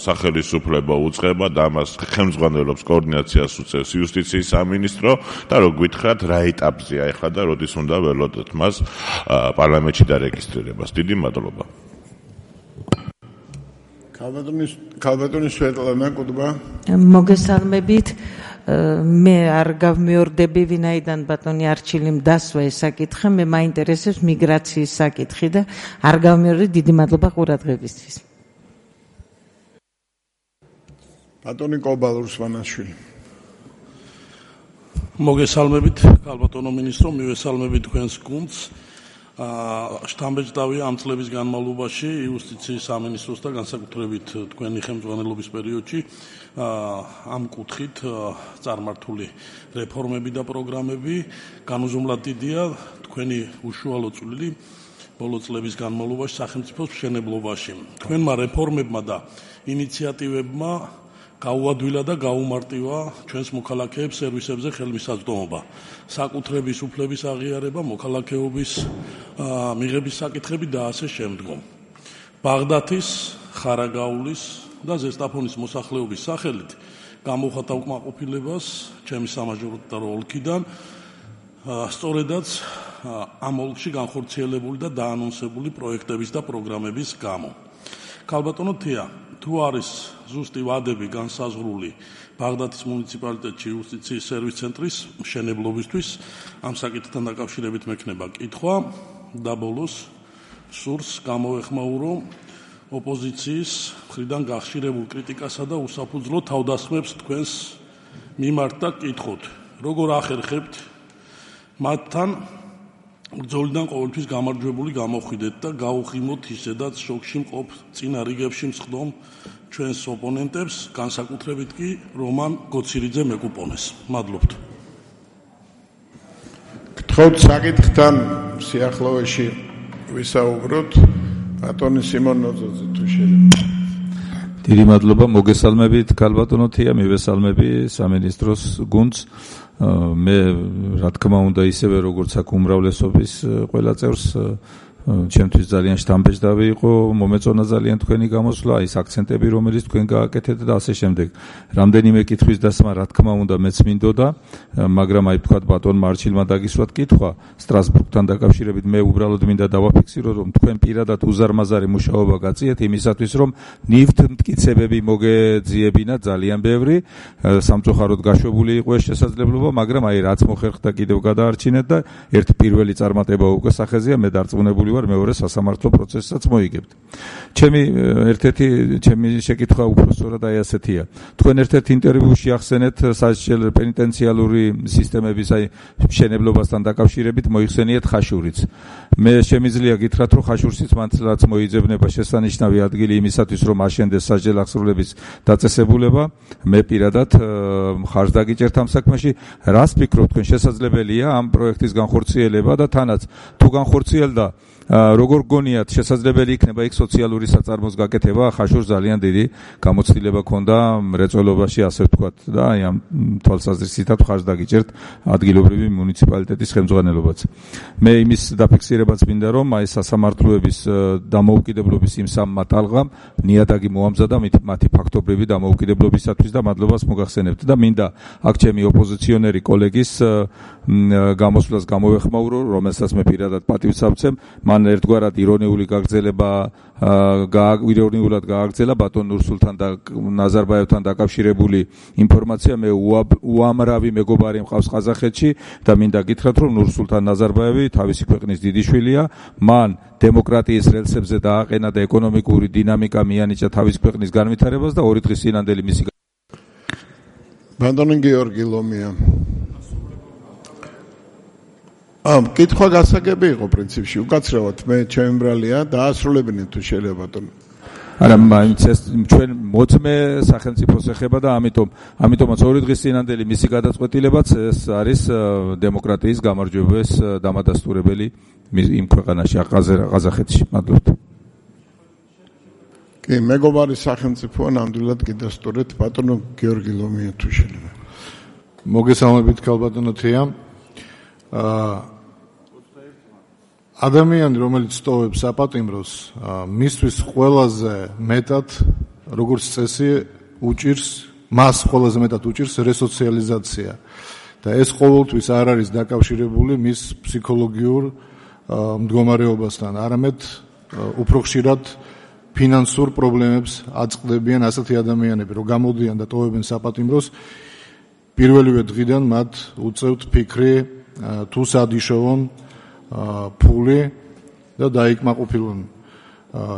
სახელისუფლება უწყება და ამას ხელმძღვანელობს კოორდინაციას უწევს იუსტიციის სამინისტრო და რო გითხრათ რა ეტაპზეა ახლა და როდის უნდა ველოდოთ მას პარლამენტში დარეგისტრირებას. დიდი მადლობა. ქალბატონის ქალბატონის სვეტლანა კუდბა. მოგესალმებით. მე არ გავმეორდები ვინაიდან ბატონი არჩილიმ დასვა ეს საკითხი, მე მაინტერესებს მიგრაციის საკითხი და არ გავმეორდი. დიდი მადლობა ყურადღებისთვის. ბატონი კობალ რუსვანაშვილი. მოგესალმებით ქალბატონო მინისტრო, მივესალმებით თქვენს გუნდს. შთამბეჭდავია ამ წლების განმავლობაში იუსტიციის სამინისტროს და განსაკუთრებით თქვენი ხელმძღვანელობის პერიოდში ამ კუთხით წარმართული რეფორმები და პროგრამები. განუზომლად დიდია თქვენი უშუალო წვლილი ბოლო წლების განმავლობაში სახელმწიფოს მშენებლობაში. თქვენმა რეფორმებმა და ინიციატივებმა გაუადვილა და გაუმარტივა ჩვენს მოქალაქეებს სერვისებზე ხელმისაწვდომობა, საკუთრების უფლების აღიარება, მოქალაქეობის მიღების საკითხები და ასე შემდგომ. ბაღდათის, ხარაგაულის და ზესტაფონის მოსახლეობის სახელით გამოვხატავ კმაყოფილებას ჩემი სამაჟორიტარო ოლქიდან, სწორედაც ამ ოლქში განხორციელებული და დაანონსებული პროექტების და პროგრამების გამო. ქალბატონო თეა, თუ არის ზუსტი ვადები განსაზღვრული ბაღდათის მუნიციპალიტეტში იუსტიციის სერვის ცენტრის მშენებლობისთვის, ამ საკითხთან დაკავშირებით მექნება კითხვა და ბოლოს სურს გამოვეხმაურო ოპოზიციის მხრიდან გახშირებულ კრიტიკასა და უსაფუძვლო თავდასხმებს თქვენს მიმართ და კითხოთ, როგორ ახერხებთ მათთან ბრძოლიდან ყოველთვის გამარჯვებული გამოხვიდეთ და გაუხიმოთ ისედაც შოქში მყოფ წინა რიგებში მსხდომ ჩვენს ოპონენტებს, განსაკუთრებით კი რომან გოცირიძე მეკუპონეს. მადლობთ. გთხოვთ საკითხთან სიახლოვეში ვისაუბროთ. ბატონი სიმონ ნოძოძე თუ შეიძლება. დიდი მადლობა, მოგესალმებით ქალბატონო თეა, მივესალმები სამინისტროს გუნდს. მე რა თქმა უნდა ისევე როგორც აქ უმრავლესობის ყველა წევრს ჩემთვის ძალიან შთამბეჭდავი იყო, მომეწონა ძალიან თქვენი გამოსვლა, ის აქცენტები რომელიც თქვენ გააკეთეთ და ასე შემდეგ. რამდენიმე კითხვის დასმა რა თქმა უნდა მეც მინდოდა, მაგრამ აი თქვა ბატონმა არჩილმა დაგისვათ კითხვა სტრასბურგთან დაკავშირებით, მე უბრალოდ მინდა დავაფიქსირო რომ თქვენ პირადად უზარმაზარი მუშაობა გაწიეთ იმისათვის რომ ნივთთ მტკიცებები მოგეძიებინა ძალიან ბევრი, სამწუხაროდ გაშვებული იყო ეს შესაძლებლობა, მაგრამ აი რაც მოხერხდა კიდევ გადაარჩინეთ და ერთ პირველი წარმატება უკვე სახეზეა, მე დარწმუნებული ვარ მეორე სასამართლო პროცესსაც მოიგებთ. ჩემი ერთ-ერთი ჩემი შეკითხვა უფრო სწორად აი ასეთია. თქვენ ერთ-ერთ ინტერვიუში ახსენეთ სასჯელ პენიტენციალური სისტემების აი მშენებლობასთან დაკავშირებით მოიხსენიეთ ხაშურიც. მე შემიძლია გითხრათ რომ ხაშურციც მართლაც მოიძებნება შესანიშნავი ადგილი იმისათვის რომ აშენდეს სასჯელახსრულების დაწესებულება. მე პირადად მხარს დაგიჭერთ ამ საქმეში. რას ფიქრობთ თქვენ შესაძლებელია ამ პროექტის განხორციელება და თანაც თუ განხორციელდა როგორ გონიათ შესაძლებელი იქნება იქ სოციალური საწარმოს გაკეთება? ხაშურს ძალიან დიდი გამოცდილება ქონდა მრეწველობაში, ასე ვთქვათ და აი ამ თვალსაზრისითაც ხარს დაგიჭერთ ადგილობრივი მუნიციპალიტეტის ხელმძღვანელობაც. მე იმის დაფიქსირებაც მინდა რომ აი სასამართლოების დამოუკიდებლობის იმ სამმა ტალღამ ნიადაგი მოამზადა მათი ფაქტობრივი დამოუკიდებლობისათვის და მადლობას მოგახსენებთ და მინდა აქ ჩემი ოპოზიციონერი კოლეგის გამოსვლას გამოვეხმაურო, რომელსაც მე პირადად პატივს ავცემ. მან ერთგვარად ირონიული გაგრძელება ირონიულად გააგრძელა ბატონ ნურსულთან და ნაზარბაევთან დაკავშირებული ინფორმაცია. მე უამრავი მეგობარი მყავს ყაზახეთში და მინდა გითხრათ რომ ნურსულთან ნაზარბაევი თავისი ქვეყნის დიდი შვილია, მან დემოკრატიის რელსებზე დააყენა და ეკონომიკური დინამიკა მიანიჭა თავის ქვეყნის განვითარებას და ორი დღის წინანდელი მისი ბატონი გიორგი ლომია. ამ კითხვა გასაგები იყო პრინციპში, უკაცრავად მე ჩემი ბრალია დაასრულებინეთ თუ შეიძლება ბატონო. არა, მაინც ეს ჩვენ მოწმე სახელმწიფოს ეხება და ამიტომ ამიტომაც ორი დღის წინანდელი მისი გადაწყვეტილებაც ეს არის დემოკრატიის გამარჯვების დამადასტურებელი იმ ქვეყანაში ყაზახეთში. მადლობთ. კი, მეგობარი სახელმწიფოა, ნამდვილად კი დასტურეთ ბატონო გიორგი ლომია თუ შეიძლება. მოგესალმებით ქალბატონო თეა. ადამიანი, რომელიც სტოვებს საპატიმროს, მისთვის ყველაზე მეტად, როგორც წესი, უჭირს, მას ყველაზე მეტად უჭირს რესოციალიზაცია. და ეს ყოველთვის არ არის დაკავშირებული მის ფსიქოლოგიურ მდგომარეობასთან, არამედ უფრო ხშირად ფინანსურ პრობლემებს აწყდებიან ასეთი ადამიანები, რომ გამოდიან და ტოვებენ საპატიმროს, პირველივე დღიდან მათ უწევთ ფიქრი თუ სად იშოვონ ფული და დაიკმაყოფილონ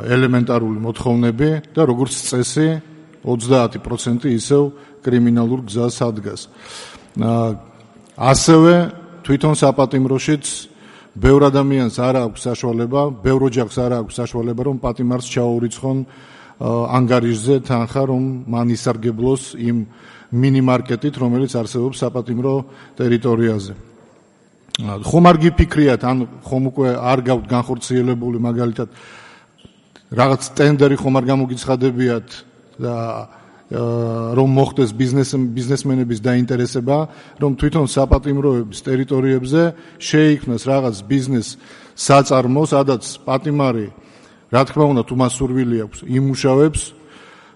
ელემენტარული მოთხოვნები და როგორც წესი ოცდაათი პროცენტი ისევ კრიმინალურ გზას ადგას. ასევე თვითონ საპატიმროშიც ბევრ ადამიანს არ აქვს საშუალება, ბევრ ოჯახს არ აქვს საშუალება, რომ პატიმარს ჩაურიცხონ ანგარიშზე თანხა, რომ მან ისარგებლოს იმ მინიმარკეტით, რომელიც არსებობს საპატიმრო ტერიტორიაზე. ხომ არ გიფიქრიათ, ან ხომ უკვე არ გაქვთ განხორციელებული მაგალითად რაღაც ტენდერი ხომ არ გამოგიცხადებიათ და რომ მოხდეს ბიზნესმენების დაინტერესება, რომ თვითონ საპატიმროების ტერიტორიებზე შეიქმნას რაღაც ბიზნეს საწარმო, სადაც პატიმარი, რა თქმა უნდა, თუ მას სურვილი აქვს, იმუშავებს.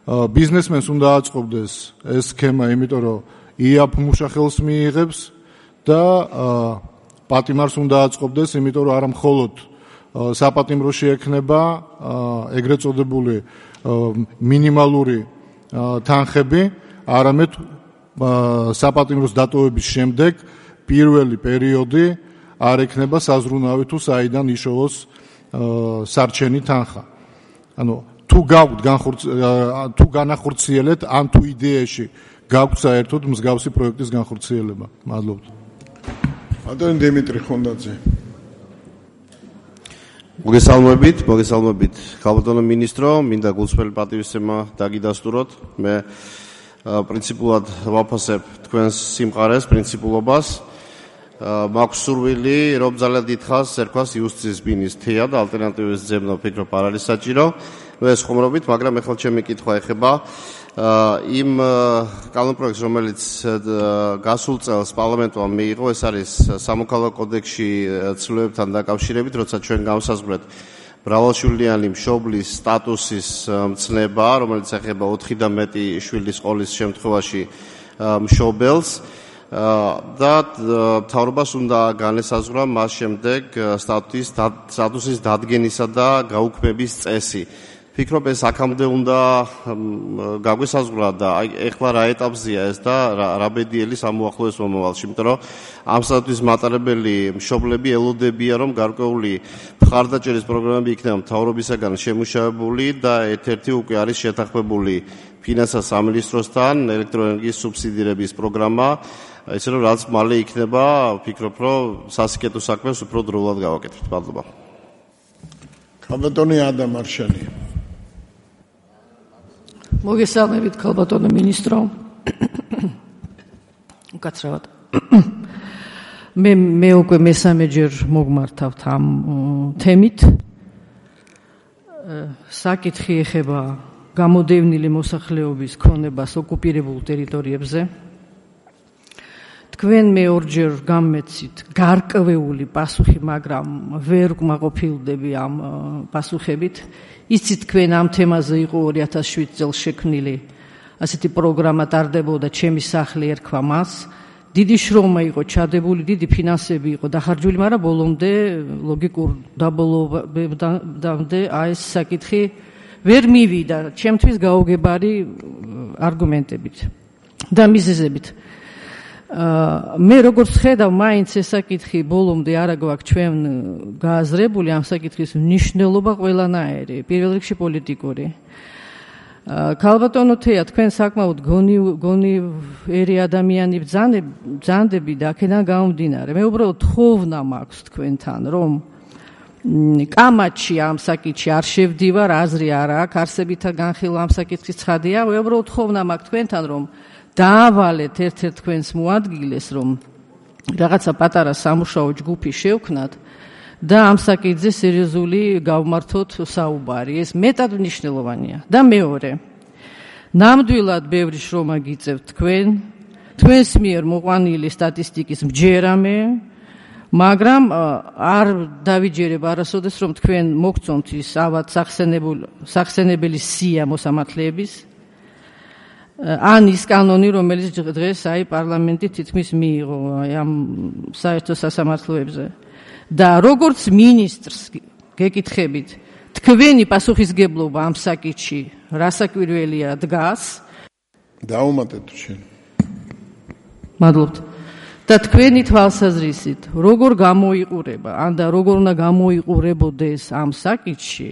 ბიზნესმენს უნდა აწყობდეს ეს სქემა, იმიტომ რომ იაფ მუშახელს მიიღებს და პატიმარს უნდა აწყობდეს, იმიტომ რომ არა მხოლოდ საპატიმროში ექნება ეგრეთ წოდებული მინიმალური თანხები, არამედ საპატიმროს დატოვების შემდეგ პირველი პერიოდი არ ექნება საზრუნავი თუ საიდან იშოვოს სარჩენი თანხა. ანუ თუ გაგვთ თუ განახორციელეთ, ან თუ იდეაში გაგვთ საერთოდ მსგავსი პროექტის განხორციელება. მადლობთ. ბატონი დიმიტრი ხონდაძე. მოგესალმებით, მოგესალმებით ქალბატონო მინისტრო, მინდა გულწრფელი პატივისცემა დაგიდასტუროთ. მე პრინციპულად ვაფასებ თქვენს სიმყარეს, პრინციპულობას. მაქვს სურვილი, რომ ძალიან დიდხანს ერქვას იუსტიციის ბინის თეა და ალტერნატივის ძებნა ვფიქრობ არ არის საჭირო. ნუ ეს ხომრობით, მაგრამ ეხლა ჩემი კითხვა ეხება იმ კანონპროექტს, რომელიც გასულ წელს პარლამენტმა მიიღო, ეს არის სამოქალაქო კოდექსში ცვლილებებთან დაკავშირებით, როცა ჩვენ გავსაზღვრეთ მრავალშვილიანი მშობლის სტატუსის მცნება, რომელიც ეხება ოთხი და მეტი შვილის ყოლის შემთხვევაში მშობელს და მთავრობას უნდა განესაზღვრა მას შემდეგ სტატუსის დადგენისა და გაუქმების წესი. ვფიქრობ, ეს აქამდე უნდა გაგვესაზღვრა და ეხლა რა ეტაპზეა ეს და რა ბედიელი სამოახლოეს მომავალში, იმიტომ რომ ამ სტატუსის მატარებელი მშობლები ელოდებიან, რომ გარკვეული მხარდაჭერის პროგრამები იქნება მთავრობისაგან შემუშავებული და ერთ-ერთი უკვე არის შეთანხმებული ფინანსთა სამინისტროსთან ელექტროენერგიის სუბსიდირების პროგრამა, ესე რომ რაც მალე იქნება, ვფიქრობ, რომ სასიკეთო საქმეს უფრო დროულად გავაკეთებთ. მადლობა. ქალბატონი ადამ არშანი. მოგესალმებით ქალბატონო მინისტრო. უკაცრავად. მე მე უკვე მესამეჯერ მოგმართავთ ამ თემით. საკითხი ეხება გამოდევნილი მოსახლეობის ქონებას ოკუპირებულ ტერიტორიებზე. თქვენ მე ორჯერ გამეცით გარკვეული პასუხი, მაგრამ ვერ გმაყოფილდები ამ პასუხებით. იცით, თქვენ ამ თემაზე იყო ორი ათას შვიდ წელს შექმნილი ასეთი პროგრამა ტარდებოდა ჩემი სახლი ერქვა მას. დიდი შრომა იყო ჩადებული, დიდი ფინანსები იყო დახარჯული, მაგრამ ბოლომდე ლოგიკურ დაბოლობამდე აი ეს საკითხი ვერ მივიდა ჩემთვის გაუგებარი არგუმენტებით და მიზეზებით. მე როგორც ხედავ, მაინც ეს საკითხი ბოლომდე არა გვაქვს ჩვენ გააზრებული, ამ საკითხის მნიშვნელობა ყველანაირი, პირველ რიგში პოლიტიკური. ქალბატონო თეა, თქვენ საკმაოდ გონიერი ადამიანი ბრძანდები და აქედან გამომდინარე, მე უბრალოდ თხოვნა მაქვს თქვენთან, რომ კამათში ამ საკითხში არ შევდივარ, აზრი არ აქვს, არსებითა განხილვა ამ საკითხის ცხადია, მე უბრალოდ თხოვნა მაქვს თქვენთან, რომ დაავალეთ ერთ-ერთ თქვენს მოადგილეს, რომ რაღაცა პატარა სამუშაო ჯგუფი შევქნათ და ამ საკითხზე სერიოზული გავმართოთ საუბარი. ეს მეტად მნიშვნელოვანია. და მეორე, ნამდვილად ბევრი შრომა გიწევთ თქვენ, თქვენს მიერ მოყვანილი სტატისტიკის მჯერამე, მაგრამ არ დავიჯერებ არასოდეს რომ თქვენ მოგწონთ ის ავად სახსენებელი სია მოსამართლეების ან ის კანონი, რომელიც დღეს აი პარლამენტი თითქმის მიიღო აი ამ საერთო სასამართლოებზე და როგორც მინისტრს გეკითხებით თქვენი პასუხისგებლობა ამ საკითხში რასაკვირველია დგას დაუმატეთ შენ მადლობთ და თქვენი თვალსაზრისით როგორ გამოიყურება ან და როგორ უნდა გამოიყურებოდეს ამ საკითხში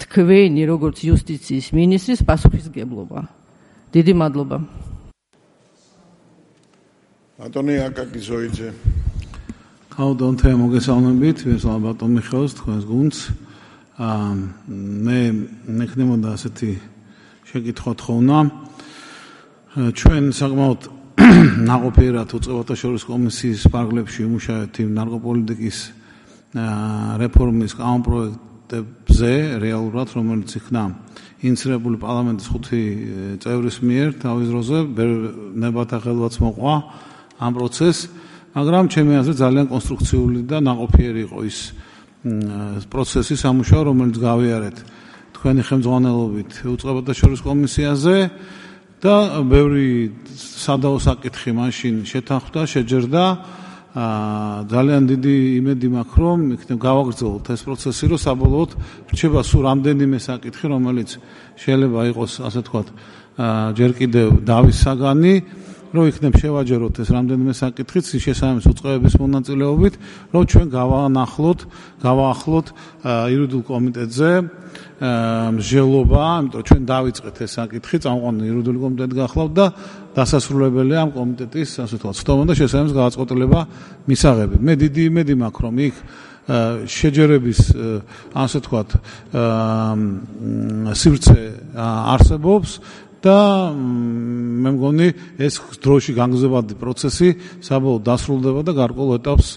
თქვენი როგორც იუსტიციის მინისტრის პასუხისგებლობა დიდი მადლობა ბატონი აკაკი ზოიძე ხავდონთე მოგესალმებით ვესალ ბატონ მიხეილს თქვენს გუნდს მე მეკნებოდა ასეთი შეკითხვა თხოვნა ჩვენ საკმაოდ ნაყოფიერად უწყებათა შორის კომისიის პარლებში ვიმუშავებთ იმ ნარკოპოლიტიკის რეფორმის კანონპროექტებზე რეალურად რომელიც იქნა ინიციირებული პარლამენტის ხუთი წევრის მიერ თავის დროზე ნებათა ხელვაც მოყვა ამ პროცესს მაგრამ ჩემი აზრით ძალიან კონსტრუქციული და ნაყოფიერი იყო ის პროცესი სამუშაო რომელიც გავიარეთ თქვენი ხელმძღვანელობით უწყებათა შორის კომისიაზე და ბევრი სადაო საკითხი მაშინ შეთანხმდა, შეჯერდა. ძალიან დიდი იმედი მაქვს, რომ იქნებ გავაგრძელოთ ეს პროცესი, რომ საბოლოოდ რჩება სულ რამდენიმე საკითხი, რომელიც შეიძლება იყოს, ასე ვთქვათ, ჯერ კიდევ დავის საგანი, რომ იქნებ შევაჯეროთ ეს რამდენიმე საკითხიც შესაბამის უწყებების მონაწილეობით, რომ ჩვენ გავანახლოთ, გავაახლოთ იურიდიულ კომიტეტზე მსჯელობა, იმიტომ ჩვენ დავიწყეთ ეს საკითხი, წამყვანი იურიდიული კომიტეტი გახლავთ და დასასრულებელია ამ კომიტეტის, ასე ვთქვათ, ცდომა და შესაბამის გადაწყვეტილება მისაღები. მე დიდი იმედი მაქვს, რომ იქ შეჯერების, ასე ვთქვათ, სივრცე არსებობს და მე მგონი ეს დროში განგრძელებადი პროცესი საბოლოოდ დასრულდება და გარკვეულ ეტაპს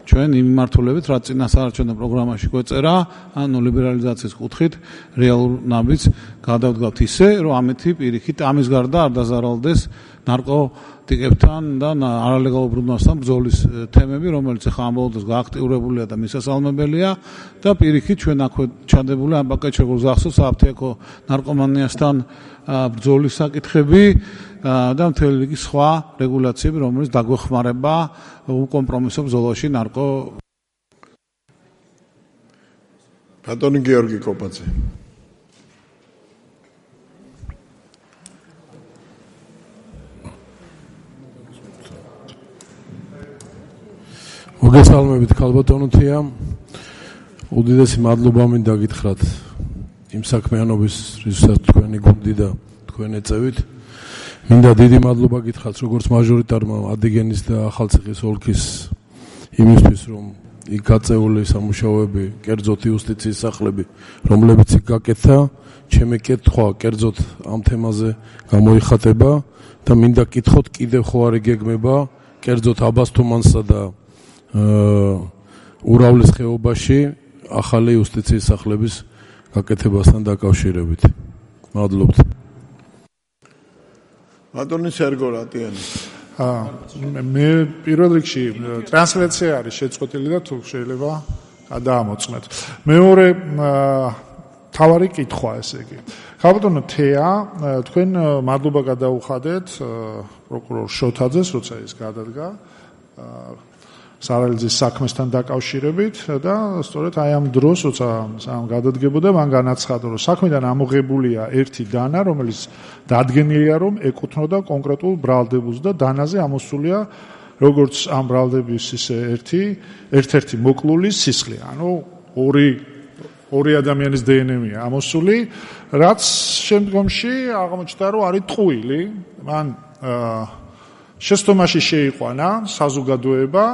ჩვენ იმ მიმართულებით, რაც წინასაარჩევნო პროგრამაში გვეწერა, ანუ ლიბერალიზაციის კუთხით რეალურ ნაბიჯს გადავდგავთ ისე, რომ ამეთი პირიქით ამის გარდა არ დაზარალდეს ნარკოტიკებთან და არალეგალურ ბრუნვასთან ბრძოლის თემები, რომელიც ახლა ამ ბოლოს გააქტიურებულია და მისასალმებელია და პირიქით ჩვენ აქვე ჩადებული ამ პაკეტში როგორც გახსოვს აფთიაქო ნარკომანიასთან ბრძოლის საკითხები და მთელი რიგი სხვა რეგულაციები, რომელიც დაგვეხმარება უკომპრომისო ბრძოლაში ნარკო. ბატონი გიორგი კოპაძე. მოგესალმებით ქალბატონოთია. უდიდესი მადლობა მინდა გითხრათ იმ საქმიანობის, რისთვისაც თქვენი გუნდი და თქვენ ეწევით. მინდა დიდი მადლობა გითხრათ როგორც მაჟორიტარმა ადიგენის და ახალციხის ოლქის იმისთვის, რომ იქ გაწეული სამუშაოები, კერძოდ იუსტიციის სახლები, რომლებიც იქ გაკეთა, ჩემი კითხვა კერძოდ ამ თემაზე გამოიხატება და მინდა გკითხოთ კიდევ ხო არ იგეგმება კერძოდ აბასთუმანსა და ურავლის ხეობაში ახალი იუსტიციის სახლების გაკეთებასთან დაკავშირებით. მადლობთ. ბატონი სერგო რატიანი. მე პირველ რიგში ტრანსლაცია არის შეწყვეტილი და თუ შეიძლება გადაამოწმეთ. მეორე თავარი კითხვა ესე იგი. ქალბატონო თეა, თქვენ მადლობა გადაუხადეთ პროკურორ შოთაძეს, როცა ის გადადგა სარალიძის საქმესთან დაკავშირებით და სწორედ აი ამ დროს, როცა სამ გადადგებოდა, მან განაცხადა, რომ საქმიდან ამოღებულია ერთი დანა, რომელიც დადგენილია, რომ ეკუთვნოდა კონკრეტულ ბრალდებულს და დანაზე ამოსულია როგორც ამ ბრალდების ისე ერთი, ერთ-ერთი მოკლული სისხლი, ანუ ორი ორი ადამიანის დე ენ ემია ამოსული, რაც შემდგომში აღმოჩნდა, რომ არის ტყუილი, მან შეცდომაში შეიყვანა საზოგადოება,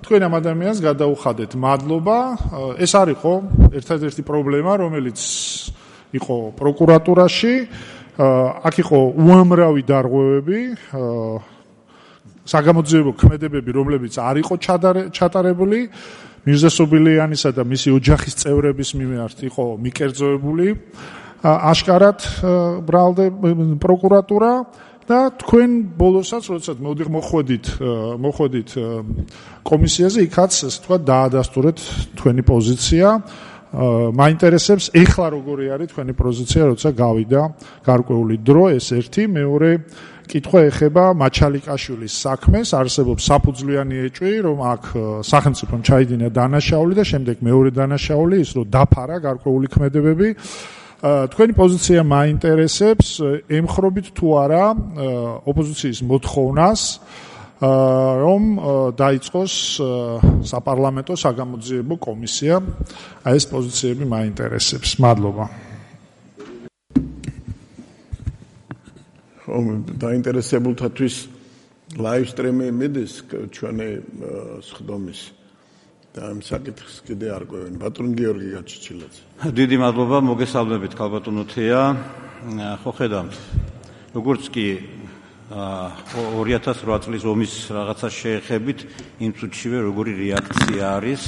თქვენ ამ ადამიანს გადაუხადეთ მადლობა. ეს არის ხო ერთადერთი პრობლემა, რომელიც იყო პროკურატურაში, აქ იყო უამრავი დარღვევები, საგამოძიებო ქმედებები, რომლებიც არ იყო ჩატარებული, მირზა სობილიანისა და მისი ოჯახის წევრების მიმართ იყო მიკერძოებული აშკარად ბრალდე პროკურატურა. და თქვენ ბოლოსაც როდესაც მოდიხ მოხვედით მოხვედით კომისიაზე იქაც ასე თქვა დაადასტურეთ თქვენი პოზიცია მაინტერესებს ეხლა როგორი არის თქვენი პოზიცია როცა გავიდა გარკვეული დრო ეს ერთი მეორე კითხვა ეხება მაჩალიკაშვილის საქმეს არსებობს საფუძვლიანი ეჭვი რომ აქ სახელმწიფომ ჩაიდინა დანაშაული და შემდეგ მეორე დანაშაული ის რომ დაფარა გარკვეული ქმედებები თქვენი პოზიცია მაინტერესებს ემხრობით თუ არა ოპოზიციის მოთხოვნას რომ დაიწყოს საპარლამენტო საგამოძიებო კომისია აი ეს პოზიციები მაინტერესებს მადლობა დაინტერესებულთათვის ლაივ სტრიმი მიდის ჩვენი სხდომის და ამ საკითხს კიდე არ ყვევენ ბატონ გიორგი გაჩიჩილაძე დიდი მადლობა მოგესალმებით ქალბატონო თეა ხო ხედავთ როგორც კი ორი ათას რვა წლის ომის რაღაცა შეეხებით იმ წუთშივე როგორი რეაქცია არის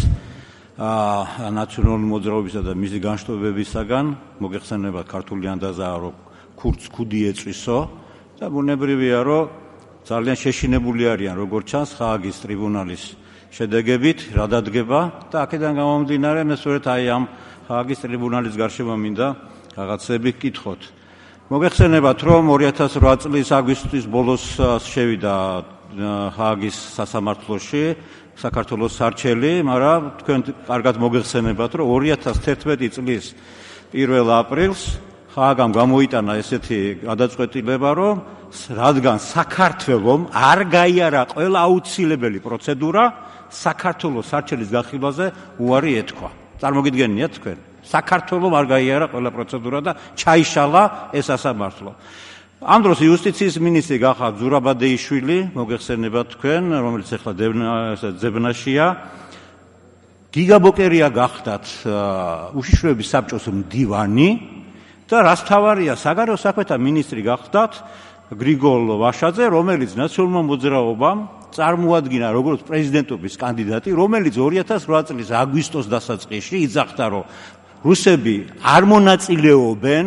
ნაციონალური მოძრაობისა და მისი განშტოებებისაგან მოგეხსენებათ ქართული ანდაზაა რომ ქურდს ქუდი ეწვისო და ბუნებრივია რომ ძალიან შეშინებული არიან როგორც ჩანს ხააგის ტრიბუნალის შედეგებით რა დადგება და აქედან გამომდინარე მე სწორედ აი ამ ხააგის ტრიბუნალის გარშემო მინდა რაღაცები გკითხოთ მოგეხსენებათ რომ ორი ათას რვა წლის აგვისტოს ბოლოს შევიდა ხააგის სასამართლოში საქართველოს სარჩელი მაგრამ თქვენ კარგად მოგეხსენებათ რომ ორი ათას თერთმეტი წლის პირველ აპრილს ხააგამ გამოიტანა ესეთი გადაწყვეტილება რომ რადგან საქართველომ არ გაიარა ყველა აუცილებელი პროცედურა საქართველოს სარჩელის გახილვაზე უარი ეთქვა. წარმოგიდგენიათ თქვენ? საქართველოს არ გაიარა ყველა პროცედურა და ჩაიშალა ეს სასამართლო. ამ დროს იუსტიციის მინისტრი გახდა ზურაბადეიშვილი, მოგეხსენებათ თქვენ, რომელიც ახლა ძებნაშია. გიგაბოკერია გახდათ უშიშროების საბჭოს მდივანი და რას თავარია საგარეო საქმეთა მინისტრი გახდათ გრიგოლ ვაშაძე, რომელიც ნაციონალურმა მოძრაობამ წარმოადგინა როგორც პრეზიდენტობის კანდიდატი, რომელიც ორი ათას რვა წლის აგვისტოს დასაწყისში იძახდა, რომ რუსები არ მონაწილეობენ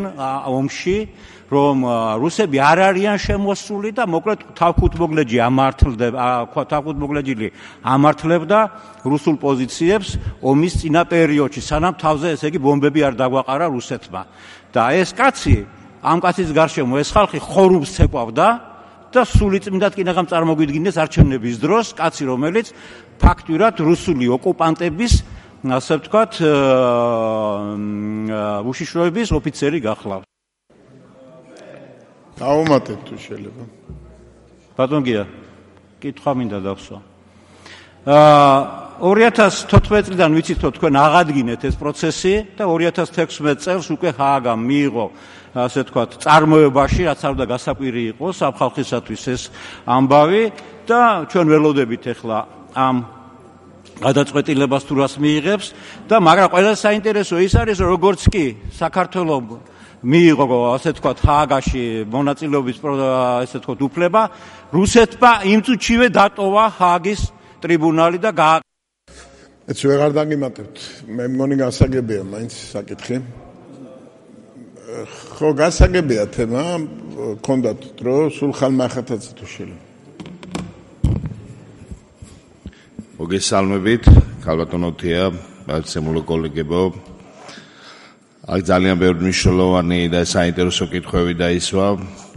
ომში, რომ რუსები არ არიან შემოსული და მოკლედ თავქუთმოგლეჯი ამართლდება, თავქუთმოგლეჯილი ამართლებდა რუსულ პოზიციებს ომის წინა პერიოდში, სანამ თავზე ესე იგი ბომბები არ დაგვაყარა რუსეთმა. და ეს კაცი, ამ კაცის გარშემო ეს ხალხი ხორუმს ცეკვავდა და სულიწმინდად კინაღამ წარმოგვიდგინეს არჩევნების დროს კაცი, რომელიც ფაქტურად რუსული ოკუპანტების, ასე ვთქვათ, უშიშროების ოფიცერი გახლავს. დაუმატეთ თუ შეიძლება. ბატონ გია, კითხვა მინდა დავსვა. ორი ათას თოთხმეტი წლიდან ვიცით რომ თქვენ აღადგინეთ ეს პროცესი და ორი ათას თექვსმეტ წელს უკვე ხააგამ მიიღო ასე ვთქვათ წარმოებაში რაც არ უნდა გასაკვირი იყოს ამ ხალხისათვის ეს ამბავი და ჩვენ ველოდებით ახლა ამ გადაწყვეტილებას თუ რას მიიღებს და მაგრამ ყველაზე საინტერესო ის არის რომ როგორც კი საქართველოს მიიღო ასე ვთქვათ ხააგაში მონაწილეობის ასე ვთქვათ უფლება რუსეთმა იმ წუთშივე დატოვა ხააგის ტრიბუნალი და გა ეს ვეღარ დაგიმატებთ. მე მგონი გასაგებია მაინც საკითხი. ხო გასაგებია თემა, გქონდათ დრო, სულ ხალხმახათაც თუ შეიძლება. მოგესალმებით, ქალბატონო თეა, ბაცემულო კოლეგებო. აქ ძალიან ბევრი მნიშვნელოვანი და საინტერესო კითხვები დაისვა.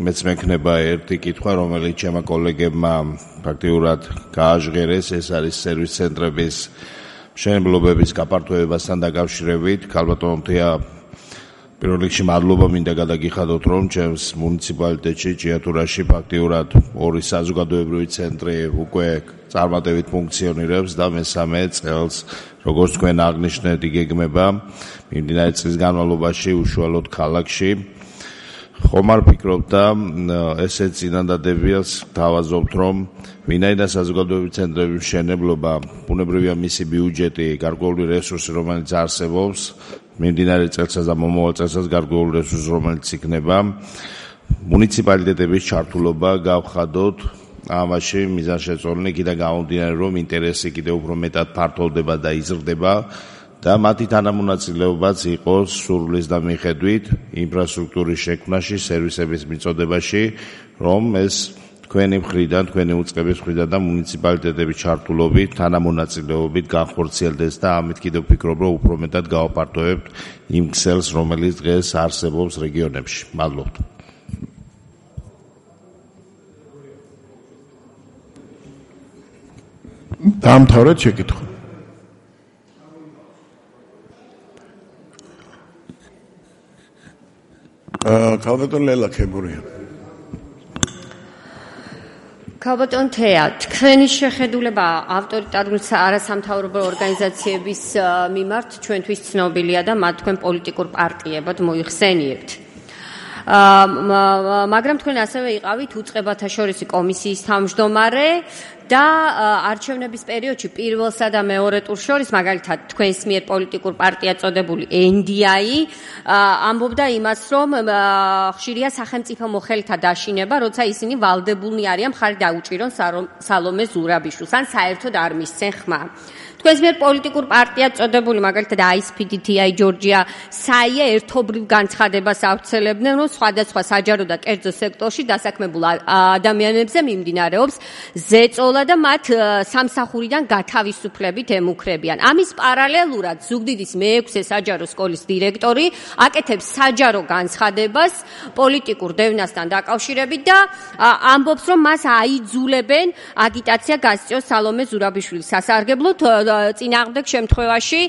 მეც მექნება ერთი კითხვა, რომელიც ჩემმა კოლეგებმა ფაქტიურად გააჟღერეს, ეს არის სერვის ცენტრების მშენებლობების გაფართოებასთან დაკავშირებით. ქალბატონო თეა, პირველ რიგში მადლობა მინდა გადაგიხადოთ, რომ ჩემს მუნიციპალიტეტში ჭიათურაში ფაქტიურად ორი საზოგადოებრივი ცენტრი უკვე წარმატებით ფუნქციონირებს და მესამე წელს, როგორც თქვენ აღნიშნეთ, იგეგმება მიმდინარე წლის განმავლობაში უშუალოდ ქალაქში. ხომ არ ფიქრობთ და ესეც წინადადებიას თავაზობთ, რომ ვინაიდან საზოგადოებრივი ცენტრების მშენებლობა, ბუნებრივია მისი ბიუჯეტი, გარკვეული რესურსი, რომელიც არსებობს, მიმდინარე წელსაც და მომავალ წელსაც გარკვეული რესურსი, რომელიც იქნება, მუნიციპალიტეტების ჩართულობა გავხადოთ ამაში მიზანშეწონილი, იქიდან გამომდინარე, რომ ინტერესი კიდევ უფრო მეტად ფართოვდება და იზრდება და მათი თანამონაწილეობაც იყო სურვილის და მიხედვით ინფრასტრუქტურის შექმნაში, სერვისების მიწოდებაში, რომ ეს თქვენი მხრიდან, თქვენი უწყების მხრიდან და მუნიციპალიტეტების ჩართულობით, თანამონაწილეობით განხორციელდეს და ამით კიდევ ვფიქრობ, რომ უფრო მეტად გავაპარტოებთ იმ ქსელს, რომელიც დღეს არსებობს რეგიონებში. მადლობთ. დაამთავრეთ შეკითხვა. აა ქალბატონ ლელა ქებურია. ქალბატონ თეა, თქვენი შეხედულება ავტორიტარული არასამთავრობო ორგანიზაციების მიმართ ჩვენთვის ცნობილია და მათ თქვენ პოლიტიკურ პარტიებად მოიხსენიებთ. მაგრამ თქვენ ასევე იყავით უწყებათა შორისი კომისიის თავმჯდომარე და არჩევნების პერიოდში პირველსა და მეორე ტურს შორის, მაგალითად თქვენს მიერ პოლიტიკურ პარტია წოდებული ენ დი აი ამბობდა იმას, რომ ხშირია სახელმწიფო მოხელეთა დაშინება, როცა ისინი ვალდებულნი არიან მხარი დაუჭირონ სალომე ზურაბიშვილს, ან საერთოდ არ მისცენ ხმა. თქვენს მიერ პოლიტიკურ პარტია წოდებული, მაგალითად აი ეს პი დი თი აი ჯორჯია საია ერთობრივ განცხადებას ავრცელებდნენ, რომ სხვადასხვა საჯარო და კერძო სექტორში დასაქმებულ ადამიანებზე მიმდინარეობს ზეწოლა და მათ სამსახურიდან გათავისუფლებით ემუქრებიან. ამის პარალელურად ზუგდიდის მეექვსე საჯარო სკოლის დირექტორი აკეთებს საჯარო განცხადებას პოლიტიკურ დევნასთან დაკავშირებით და ამბობს, რომ მას აიძულებენ აგიტაცია გასწიოს სალომე ზურაბიშვილის სასარგებლოდ, წინააღმდეგ შემთხვევაში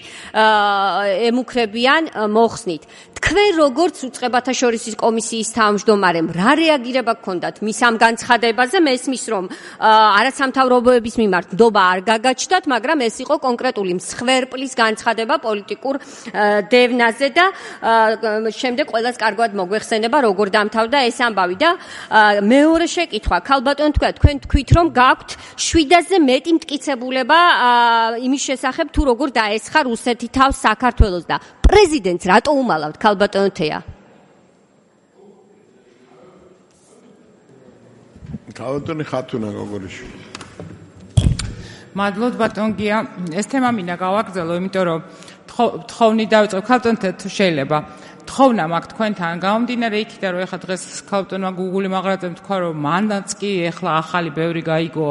ემუქრებიან მოხსნით. თქვენ როგორც უწყებათა შორისი კომისიის თავმჯდომარემ რა რეაგირება გქონდათ მის ამ განცხადებაზე? მესმის, რომ არასამთავრობოების მიმართ ნდობა არ გაგაჩნდათ, მაგრამ ეს იყო კონკრეტული მსხვერპლის განცხადება პოლიტიკურ დევნაზე და შემდეგ ყველას კარგად მოგვეხსენება, როგორ დამთავრდა ეს ამბავი. და მეორე შეკითხვა, ქალბატონ თქვა, თქვენ თქვით, რომ გაქვთ შვიდაზე მეტი მტკიცებულება იმის შესახებ, თუ როგორ დაესხა რუსეთი თავს საქართველოს და პრეზიდენტს რატო უმალავთ, ქალბატონ თეა? ქალბატონი ხათუნა გოგორიშვილი. მადლობთ ბატონ გია, ეს თემა მინდა გავაგრძელო, იმიტომ რომ თხოვნი დავიწყო, ქალბატონ თეა, თუ შეიძლება თხოვნა მაქვს თქვენთან გამომდინარე იქიდან, რომ ეხლა დღეს ქალბატონმა გუგული მაღრაძემ თქვა, რომ მანდაც კი ეხლა ახალი ბევრი გაიგო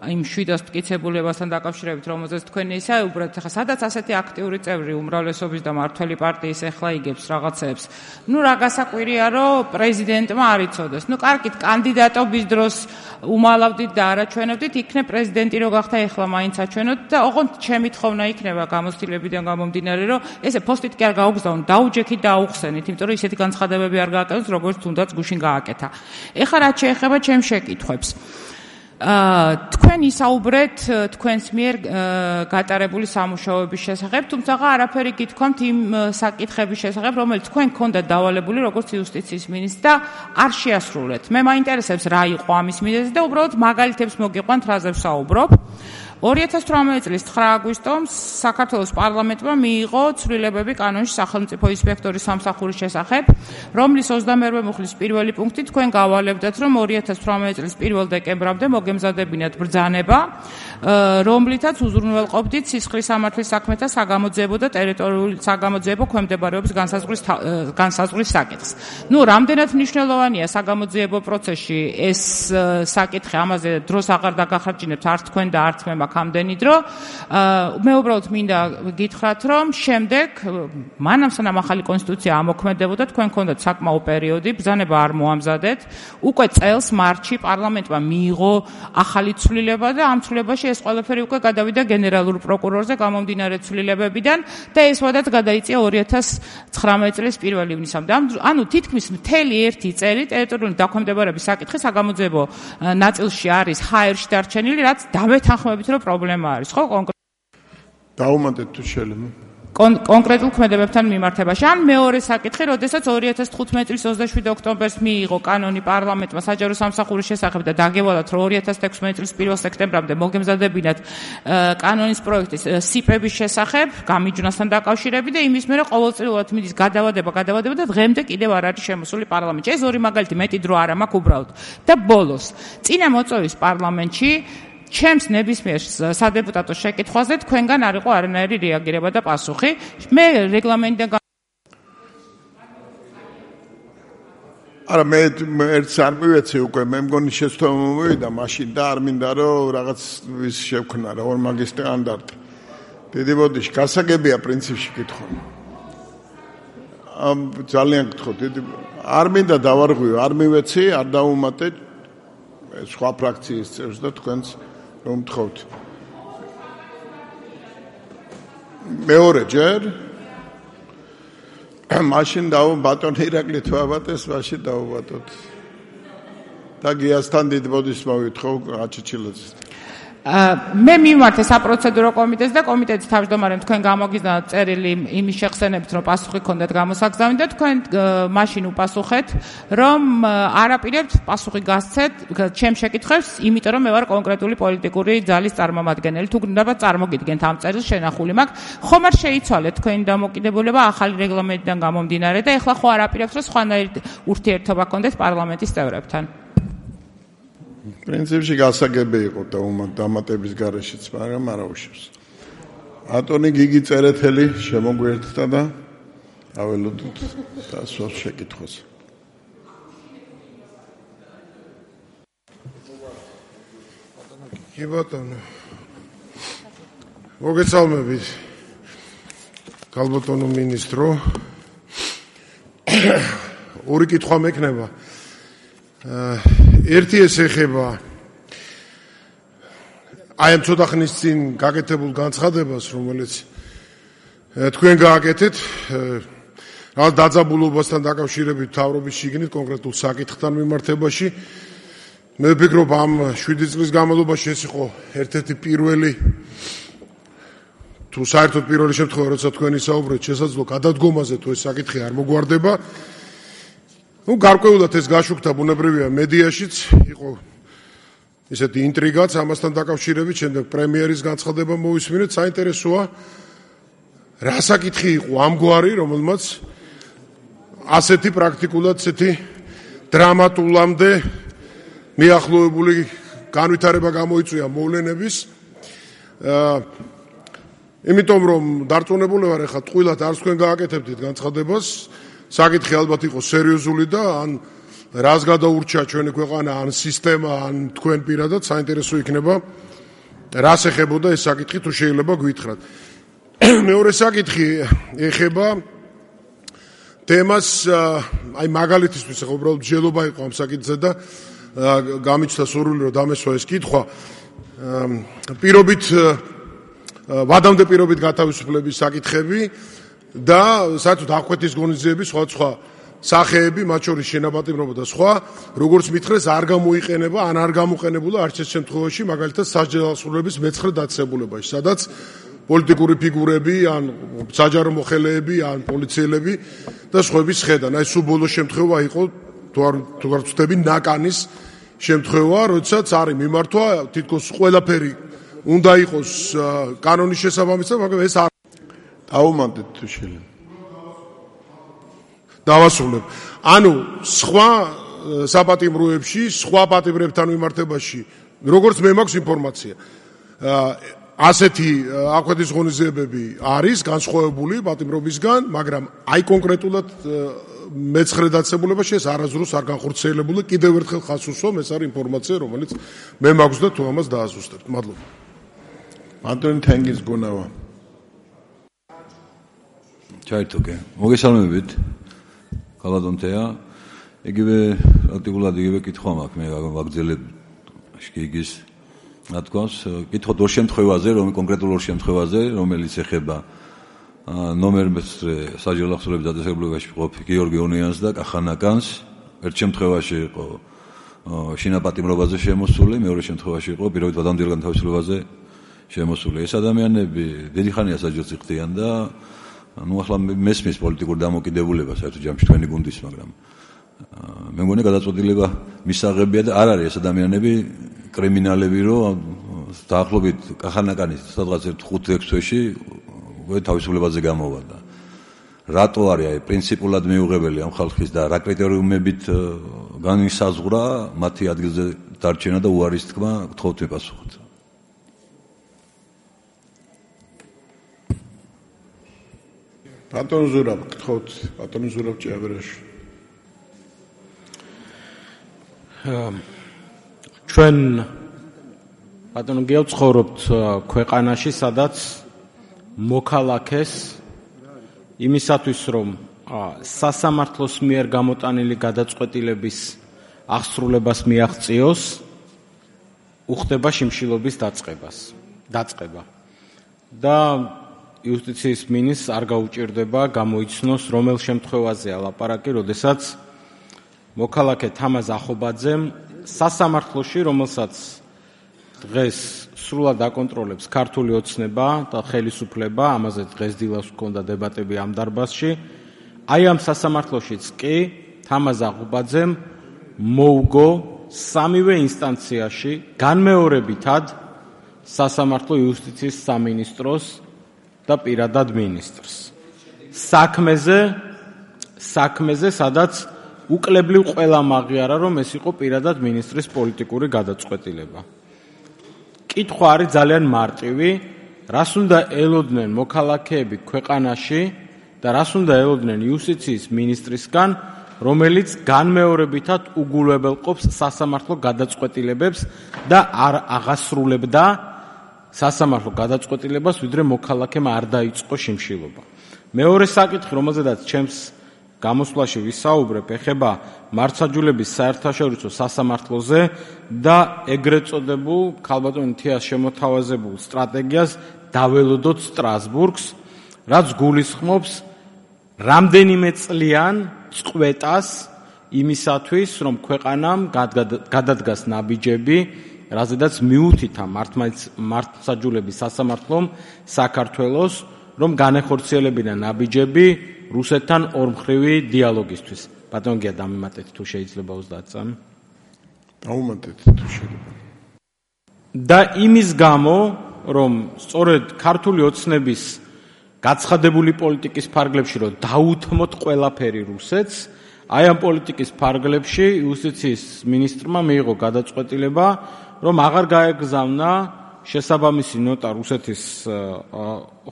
იმ შვიდას მტკიცებულებასთან დაკავშირებით, რომელზეც თქვენ ისაუბრეთ. ეხლა სადაც ასეთი აქტიური წევრი უმრავლესობის და მართველი პარტიის ეხლა იგებს რაღაცებს. ნუ რა გასაკვირია, რომ პრეზიდენტმა არ იცოდეს. ნუ კარგით, კანდიდატობის დროს უმალავდით და არაჩვენებდით, იქნებ პრეზიდენტი რო გახდა, ეხლა მაინც აჩვენოთ და ოღონდ ჩემი თხოვნა იქნება გამოცდილებიდან გამომდინარე, რომ ესე პოსტით კი არ გაუგზავნოთ, დაუჯექით და აუხსენით, იმიტომ რომ ისეთი განცხადებები არ გააკეთოს, როგორც თუნდაც გუშინ გააკეთა. ეხლა რაც შეეხება ჩემს შეკითხვებს. თქვენ ისაუბრეთ თქვენს მიერ გატარებული სამუშაოების შესახებ, თუმცა არაფერი გითქვამთ იმ საკითხების შესახებ, რომელიც თქვენ გქონდათ დავალებული როგორც იუსტიციის მინისტრს და არ შეასრულეთ. მე მაინტერესებს რა იყო ამის მიზეზი და უბრალოდ მაგალითებს მოგიყვანთ, რაზე ვსაუბრობ. ორი ათას თვრამეტი წლის ცხრა აგვისტომს საქართველოს პარლამენტმა მიიღო ცვლილებები კანონში სახელმწიფო ინსპექტორის სამსახურის შესახებ, რომლის ოცდამეერვე მუხლის პირველი პუნქტი თქვენ გავალებდათ, რომ ორი ათას თვრამეტი წლის პირველ დეკემბრამდე მოგემზადებინათ ბრძანება, რომლითაც უზრუნველყოფდით სისხლის სამართლის საქმეთა საგამოძიებო და ტერიტორიული საგამოძიებო ქვემდებარების განსაზღვრის განსაზღვრის საკითხს. ნუ რამდენად მნიშვნელოვანია საგამოძიებო პროცესში ეს საკითხი, ამაზე დროს აღარ დაგახარჯინებთ არც თქვენ და არც მე ამდენი დრო. მე უბრალოდ მინდა გითხრათ, რომ შემდეგ მანამ სანამ ახალი კონსტიტუცია ამოქმედებოდა, თქვენ გქონდათ საკმაო პერიოდი, ბრძანება არ მოამზადეთ. უკვე წელს მარტში პარლამენტმა მიიღო ახალი ცვლილება და ამ ცვლილებაში ეს ყველაფერი უკვე გადავიდა გენერალურ პროკურორზე გამომდინარე ცვლილებებიდან და ეს ვადაც გადაიწია ორი ათას ცხრამეტი წლის პირველ ივნისამდე. ანუ თითქმის მთელი ერთი წელი ტერიტორიული დაქვემდებარების საკითხი საგამოძიებო ნაწილში არის ჰაერში დარჩენილი, რაც დამეთანხმებით რომ პრობლემა არის, ხო? დაუმატეთ თუ შეიძლება. კონკრეტულ ქმედებებთან მიმართებაში. ან მეორე საკითხი, როდესაც ორი ათას თხუთმეტი წლის ოცდაშვიდი ოქტომბერს მიიღო კანონი პარლამენტმა საჯარო სამსახურის შესახებ და დაგევალათ, რომ ორი ათას თექვსმეტი წლის პირველ სექტემბრამდე მოგემზადებინათ კანონის პროექტის სიპების შესახებ, გამიჯვნასთან დაკავშირებით და იმის მერე ყოველწლიურად მიდის გადავადება, გადავადება და დღემდე კიდევ არ არის შემოსული პარლამენტში. ეს ორი მაგალითი, მეტი დრო არ მაქვს უბრალოდ. და ბოლოს, წინა მოწვევის პარლამენტში ჩემს ნებისმიერ სადეპუტატო შეკითხვაზე თქვენგან არ იყო არანაირი რეაგირება და პასუხი. მე რეგლამენტიდან არა მე ერთს არ მივეცი უკვე მე მგონი შეცდომა მომივიდა მაშინ და არ მინდა რომ რაღაც ვის შევქნა რა ორმაგი სტანდარტი. დიდი ბოდიში გასაგებია პრინციპში კითხვა. ამ ძალიან გთხოვთ დიდი არ მინდა დავარღვიო არ მივეცი არ დავუმატე სხვა ფრაქციის წევრს და თქვენს რომ გთხოვთ. მეორე ჯერ მაშინ დაუ ბატონ ირაკლი თვაბატეს მაშინ დაუბატოთ. და გიასთან დიდ ბოდის მოვითხოვ გაჩიჩილაძეს. მე მიმართ საპროცედურო კომიტეტს და კომიტეტის თავმჯდომარემ თქვენ გამოგიზნოთ წერილი იმის შეხსენებით რომ პასუხი ქონდეთ გამოსაგზავნით და თქვენ მაშინ უპასუხეთ რომ არაპირებთ პასუხი გასცეთ ჩემ შეკითხვებს იმიტომ რომ მე ვარ კონკრეტული პოლიტიკური ძალის წარმომადგენელი თუ გინდათ წარმოგიდგენთ ამ წერილს შენახული მაქვს ხომ არ შეიცვალეთ თქვენი დამოკიდებულება ახალი რეგლამენტიდან გამომდინარე და ეხლა ხო არაპირებთ რომ სხვანაირი ურთიერთობა ქონდეთ პარლამენტის წევრებთან. პრინციპში გასაგები იყო და დამატების გარეშეც, მაგრამ არ აუშევს. ატონი გიგი წერეთელი შემოგვიერთდა და აველოდოთ დასვას შეკითხვას. კი ბატონო. მოგესალმებით. გალბატონო მინისტრო. ორი კითხვა მექნება. ერთი ეს ეხება აი ამ ცოტა ხნის წინ გაკეთებულ განცხადებას, რომელიც თქვენ გააკეთეთ, რაღაც დაძაბულობასთან დაკავშირებით თავრობის შიგნით კონკრეტულ საკითხთან მიმართებაში. მე ვფიქრობ, ამ შვიდი წლის განმავლობაში ეს იყო ერთ-ერთი პირველი თუ საერთოდ პირველი შემთხვევა, როცა თქვენ ისაუბრეთ, შესაძლოა გადადგომაზე თუ ეს საკითხი არ მოგვარდება. ну გარკვეულად ეს გაშუქდა ბუნებრივია მედიაშიც იყო ესეთი ინტრიგაც ამასთან დაკავშირებით შემდეგ პრემიერის განცხადება მოვისმინეთ საინტერესოა რა საკითხი იყო ამგვარი რომელმაც ასეთი პრაქტიკულად ესეთი დრამატულამდე მიახლოებული განვითარება გამოიწვია მოვლენების იმიტომ რომ დარწმუნებული ვარ ახლა ტყუილად არც თქვენ გააკეთებდით განცხადებას საკითხი ალბათ იყო სერიოზული და ან რას გადაურჩა ჩვენი ქვეყანა, ან სისტემა, ან თქვენ პირადად საინტერესო იქნება რას ეხებოდა ეს საკითხი თუ შეიძლება გვითხრათ. მეორე საკითხი ეხება თემას აი მაგალითისთვის ახლა უბრალოდ მსჯელობა იყო ამ საკითხზე და გამიჩნდა სურვილი რომ დამესვა ეს კითხვა. პირობით ვადამდე პირობით გათავისუფლების საკითხები და საერთოდ აღკვეთის ღონისძიების სხვა სხვა სახეები, მათ შორის შენაპატიმრობა და სხვა, როგორც მითხრეს, არ გამოიყენება, ან არ გამოყენებულა არც ერთ შემთხვევაში, მაგალითად სასჯელოსნურების მეცხრე დაწესებულებაში, სადაც პოლიტიკური ფიგურები, ან საჯარო მოხელეები, ან პოლიციელები და სხვების ხედან. აი სულ ბოლო შემთხვევა იყო, თუ არ თუ არ ვწდები, ნაკანის შემთხვევა, როდესაც არის მიმართვა, თითქოს ყველაფერი უნდა იყოს კანონის შესაბამისად, მაგრამ ეს არ დაუმატეთ თუ შეიძლება. დავასრულებ. ანუ სხვა საპატიმროებში, სხვა პატიმრებთან მიმართებაში, როგორც მე მაქვს ინფორმაცია, ასეთი აღკვეთის ღონისძიებები არის განსხვავებული პატიმრობისგან, მაგრამ აი კონკრეტულად მეცხრე დაწესებულებაში ეს არასდროს არ განხორციელებულა. კიდევ ერთხელ ხაზს უსვამ, ეს არის ინფორმაცია, რომელიც მე მაქვს და თუ ამას დააზუსტებთ. მადლობა. მადლობა თენგის გუნავა. ჩაერთო-კე. მოგესალმებით. გალადონთეა. იგივე აქტიურად იგივე კითხვა მაქვს მე ვაგრძელებ შკიგის რა თქოს კითხოთ ორ შემთხვევაზე რომ კონკრეტულ ორ შემთხვევაზე რომელიც ეხება ნომერს საჯარო ახსოვების დაწესებულებაში ყოფ გიორგი ონიანს და კახანაკანს ერთ შემთხვევაში იყო შინაპატიმრობაზე შემოსული მეორე შემთხვევაში იყო პირობით ვადამდელ განთავისუფლებაზე შემოსული ეს ადამიანები დიდი ხანია საჯელს იხდიან და ну ახლა მესმის პოლიტიკურ დამოკიდებულებას საერთოდ ჯამში თქვენი გუნდის მაგრამ მე მგონი გადაწყვეტილება მისაღებია და არ არის ეს ადამიანები კრიმინალები რომ დაახლოებით კახანაკანის სადღაც ხუთ ექვს თვეში უკვე თავისუფლებაზე გამოვა და რატო არის აი პრინციპულად მიუღებელი ამ ხალხის და რა კრიტერიუმებით განისაზღვრა მათი ადგილზე დარჩენა და უარის თქმა გთხოვთ მიპასუხოთ ბატონ ზურაბ, გთხოვთ, ბატონ ზურაბ ჭიაბერაში. ჩვენ ბატონო გეოცხოვრობთ ქვეყანაში, სადაც მოქალაქეს იმისათვის, რომ სასამართლოს მიერ გამოტანილი გადაწყვეტილების აღსრულებას მიაღწიოს, უხდება შიმშილობის დაწყებას, დაწყება. და იუსტიციის მინისტრს არ გაუჭირდება გამოიცნოს, რომელ შემთხვევაზეა ლაპარაკი, როდესაც მოქალაქე თამაზ ახობაძემ სასამართლოში, რომელსაც დღეს სრულად აკონტროლებს ქართული ოცნება და ხელისუფლება, ამაზე დღეს დილას ჰქონდა დებატები ამ დარბაზში, აი ამ სასამართლოშიც კი თამაზ ახობაძემ მოუგო სამივე ინსტანციაში განმეორებითად სასამართლო იუსტიციის სამინისტროს და პირადად მინისტრს. საქმეზე, საქმეზე, სადაც უკლებლივ ყველა მაღიარა, რომ ეს იყო პირადად მინისტრის პოლიტიკური გადაწყვეტილება. კითხვა არის ძალიან მარტივი, რას უნდა ელოდნენ მოქალაქეები ქვეყანაში და რას უნდა ელოდნენ იუსტიციის მინისტრისგან, რომელიც განმეორებითად უგულებელყოფს სასამართლო გადაწყვეტილებებს და არ აღასრულებდა სასამართლო გადაწყვეტილებას, ვიდრე მოქალაქემ არ დაიწყო შიმშილობა. მეორე საკითხი, რომელზედაც ჩემს გამოსვლაში ვისაუბრებ, ეხება მართლმსაჯულების საერთაშორისო სასამართლოზე და ეგრეთ წოდებულ ქალბატონ თეას შემოთავაზებულ სტრატეგიას დაველოდოთ სტრასბურგს, რაც გულისხმობს რამდენიმე წლიან წყვეტას იმისათვის, რომ ქვეყანამ გადადგას ნაბიჯები, რაზედაც მიუთითა მართლმსაჯულების სასამართლომ საქართველოს, რომ განეხორციელებინა ნაბიჯები რუსეთთან ორმხრივი დიალოგისთვის. ბატონ გია დამემატეთ თუ შეიძლება ოცდაათი წამი. დაუმატეთ თუ შეიძლება. და იმის გამო, რომ სწორედ ქართული ოცნების გაცხადებული პოლიტიკის ფარგლებში, რომ დაუთმოთ ყველაფერი რუსეთს, აი ამ პოლიტიკის ფარგლებში იუსტიციის მინისტრმა მიიღო გადაწყვეტილება, რომ აღარ გაეგზავნა შესაბამისი ნოტა რუსეთის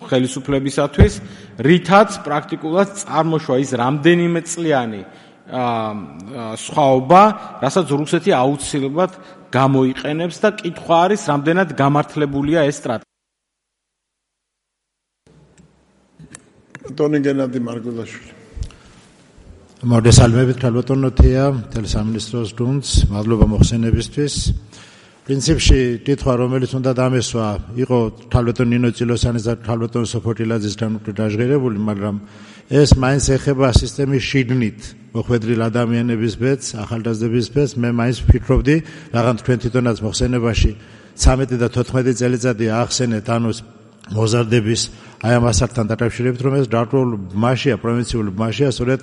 ხელისუფლებისათვის, რითაც პრაქტიკულად წარმოშვა ის რამდენიმე წლიანი სხვაობა, რასაც რუსეთი აუცილებლად გამოიყენებს და კითხვა არის, რამდენად გამართლებულია ეს სტრატეგია. ბატონი გენადი მარგულაშვილი. მოგესალმებით, ქალბატონო თეა, თელესამინისტროს გუნდს, მადლობა მოხსენებისთვის. პრინციპში კითხვა, რომელიც უნდა დამესვა, იყო ქალბატონ ნინო წილოსანის და ქალბატონ სოფოთილაძისგან უკვე დაჟღერებული, მაგრამ ეს მაინც ეხება სისტემის შიგნით მოხვედრილ ადამიანების ბედს, ახალგაზრდების ბედს. მე მაინც ვფიქრობდი, რაღაც თქვენ თვითონაც მოხსენებაში ცამეტი და თოთხმეტი წელიწადი აახსენეთ ანუს მოზარდების აი ამ ასაკთან დაკავშირებით, რომ ეს დაკრულ ბმაშია, პროვინციულ ბმაშია, სწორედ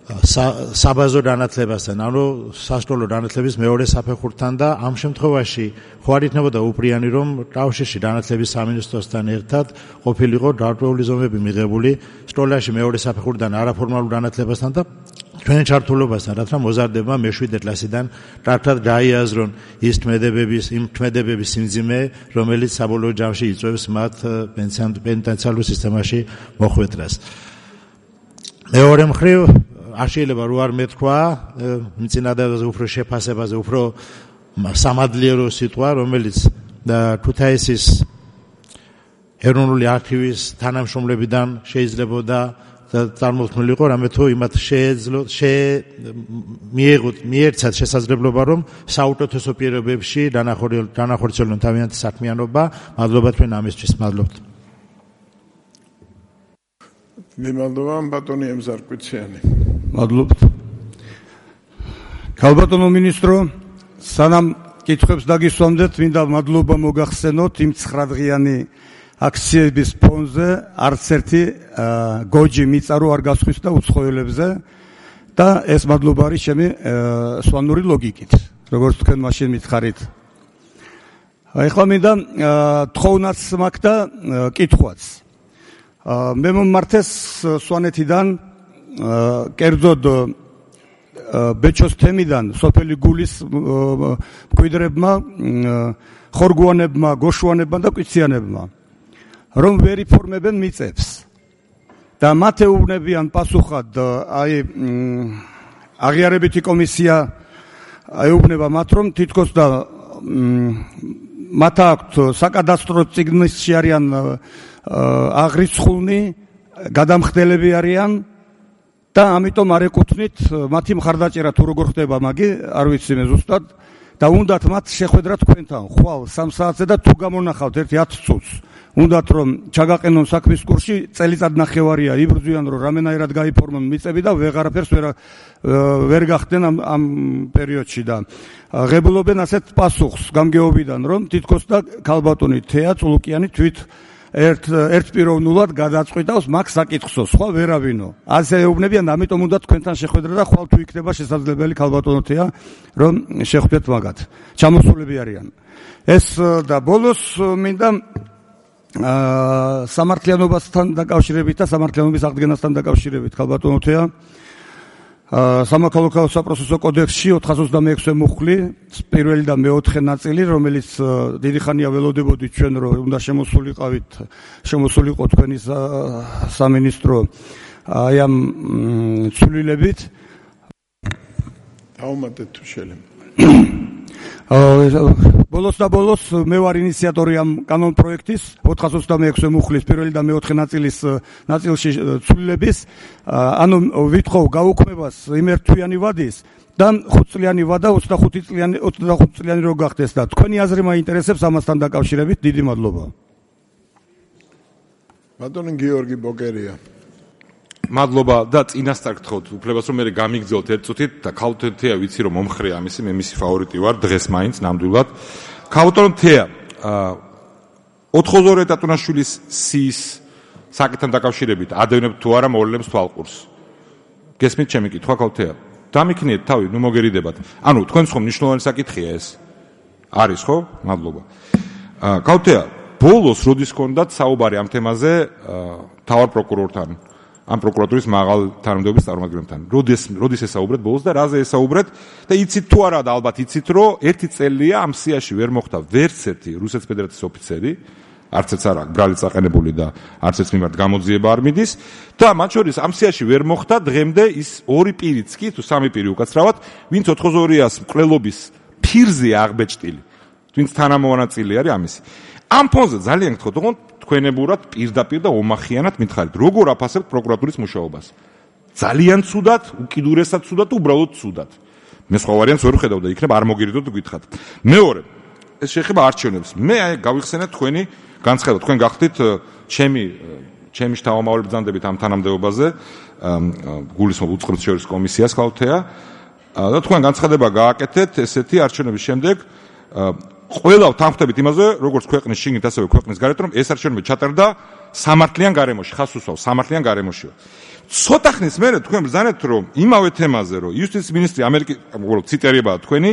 საბაზო განათლებასთან, ანუ სასკოლო განათლების მეორე საფეხურთან და ამ შემთხვევაში ხო არ იქნებოდა უპრიანი, რომ კავშირში განათლების სამინისტროსთან ერთად ყოფილიყო დაკრული ზომები მიღებული სკოლაში მეორე საფეხურიდან არაფორმალურ განათლებასთან და ჩვენ ჩართულობასთან, რათა მოზარდებმა მეშვიდე კლასიდან კარგად გაიაზრონ ის თმედებების, იმ თმედებების სიმძიმე, რომელიც საბოლოო ჯამში იწვევს მათ პენიტენციარულ სისტემაში მოხვედრას. მეორე მხრივ არ შეიძლება რო არ მეთქვა მწინადადაზე უფრო შეფასებაზე, უფრო სამადლიერო სიტყვა, რომელიც ქუთაისის ეროვნული არქივის თანამშრომლებიდან შეიძლებოდა წარმოქმნილიყო, რამე თუ იმათ შეეძლო მიეღოთ მიერცათ შესაძლებლობა, რომ საუკეთესო პირობებში განახორციელონ თავიანთი საქმიანობა. მადლობა თქვენ ამისთვის, მადლობთ. მადლობა ბატონი ემზარკვიციანი. მადლობთ. ქალბატონო მინისტრო, სანამ კითხვებს დაგისვამდეთ, მინდა მადლობა მოგახსენოთ იმ ცხრადღიანი აქციების ფონზე არც ერთი გოჯი მიწარო არ გასხვისდა უცხოელებზე და ეს მადლობა არის ჩემი სვანური ლოგიკით, როგორც თქვენ მაშინ მითხარით. ეხლა მინდა თხოვნაც მაქვს და კითხვაც. მე მომმართეს სვანეთიდან კერძოდ ბეჩოს თემიდან სოფელი გულის მკვიდრებმა, ხორგვანებმა, გოშვანებმა და კვიციანებმა, რომ ვერ იფორმებენ მიწებს და მათ ეუბნებიან პასუხად აი აღიარებითი კომისია ეუბნება მათ რომ თითქოს და მათ აქვთ საკადასტრო წიგნში არიან აღრიცხულნი გადამხდელები არიან და ამიტომ არ ეკუთვნით მათი მხარდაჭერა თუ როგორ ხდება მაგი არ ვიცი მე ზუსტად და უნდათ მათ შეხვედრა თქვენთან ხვალ სამ საათზე და თუ გამონახავთ ერთი ათ წუთს უნდათ რომ ჩაგაყენონ საქმის კურსში წელიწად ნახევარია იბრძვიან რომ რამენაირად გაიფორმონ მიწები და ვეღარაფერს ვერ ვერ გახდნენ ამ ამ პერიოდში და ღებულობენ ასეთ პასუხს გამგეობიდან რომ თითქოს და ქალბატონი თეა წულუკიანი თვით ერთ ერთპიროვნულად გადაწყვიტავს მაგ საკითხსო სხვა ვერავინო ასე ეუბნებიან ამიტომ უნდა თქვენთან შეხვედრა და ხვალ თუ იქნება შესაძლებელი ქალბატონო თეა რომ შეხვდეთ მაგათ ჩამოსულები არიან ეს და ბოლოს მინდა სამართლიანობასთან დაკავშირებით და სამართლიანობის აღდგენასთან დაკავშირებით ქალბატონო თეა სამოქალაქო საპროცესო კოდექსში ოთხას ოცდამექვსე მუხლი პირველი და მეოთხე ნაწილი რომელიც დიდი ხანია ველოდებოდით ჩვენ რომ უნდა შემოსულიყავით შემოსულიყო თქვენი სამინისტრო აი ამ ცვლილებით დაუმატეთ თუ შეიძლება ბოლოს და ბოლოს მე ვარ ინიციატორი ამ კანონ პროექტის ოთხას ოცდამექვსე მუხლის პირველი და მეოთხე ნაწილის ნაწილში ცვლილების ანუ ვითხოვ გაუქმებას იმერთვიანი ვადის და ხუთწლიანი ვადა ოცდახუთი წლიანი ოცდახუთი წლიანი რო გახდეს და თქვენი აზრი მაინტერესებს ამასთან დაკავშირებით დიდი მადლობა ბატონი გიორგი ბოკერია მადლობა და წინასწარ გთხოვთ უფლებას რომ მე გამიგძელოთ ერთ წუთით და ქალბატონო თეა ვიცი რომ მომხრე ამისი მე მისი ფავორიტი ვარ დღეს მაინც ნამდვილად ქალბატონო თეა ოთხმოცდაორი ეტატუნაშვილის სიის საკითხთან დაკავშირებით ადევნებთ თუ არა მოვლენებს თვალყურს გესმით ჩემი კითხვა ქალბატონო თეა დამიქნიეთ თავი ნუ მოგერიდებათ ანუ თქვენ ხო მნიშვნელოვანი საკითხია ეს არის ხო მადლობა ქალბატონო თეა ბოლოს როდის გქონდათ საუბარი ამ თემაზე თავარ პროკურორთან ამ პროკურატურის მაღალ თანამდებობის წარმომადგენლებთან. როდის როდის ესაუბრეთ ბოლოს და რაზე ესაუბრეთ და იცით თუ არა და ალბათ იცით რომ ერთი წელია ამ სიაში ვერ მოხდა ვერც ერთი რუსეთის ფედერაციის ოფიცერი, არც ერთს არა ბრალი წაყენებული და არც ერთს მიმართ გამოძიება არ მიდის და მათ შორის ამ სიაში ვერ მოხდა დღემდე ის ორი პირიც კი თუ სამი პირი უკაცრავად, ვინც ოთხმოცდაორიას მკვლელობის ფირზე აღბეჭდილი, ვინც თანამონაწილე არის ამისი. ამ ფონზე ძალიან გთხოვთ, თქო თქვენებურად პირდაპირ და ომახიანად მითხარით, როგორ აფასებთ პროკურატურის მუშაობას. ძალიან ცუდად, უკიდურესად ცუდად, უბრალოდ ცუდად. მე სხვა ვარიანტს ვერ ვხედავ და იქნებ არ მოგირიდოთ გითხრათ. მეორე, ეს შეეხება არჩევნებს. მე აი გავიხსენეთ თქვენი განცხადება, თქვენ გახდით ჩემი ჩემი შთამომავალი ბრძანდებით ამ თანამდებობაზე, გულისხმობ უწყებთ შორის კომისიას ქალბატონო და თქვენ განცხადება გააკეთეთ ესეთი არჩევნების შემდეგ ყველა თანხმდებით იმაზე, როგორც ქვეყნის შიგნით, ასევე ქვეყნის გარეთ, რომ ეს არჩევნები ჩატარდა სამართლიან გარემოში, ხას უსვავს სამართლიან გარემოშია. ცოტა ხნის მერე თქვენ ბრძანეთ, რომ იმავე თემაზე, რომ იუსტიციის მინისტრი ამერიკის, უბრალოდ ციტერიებაა თქვენი,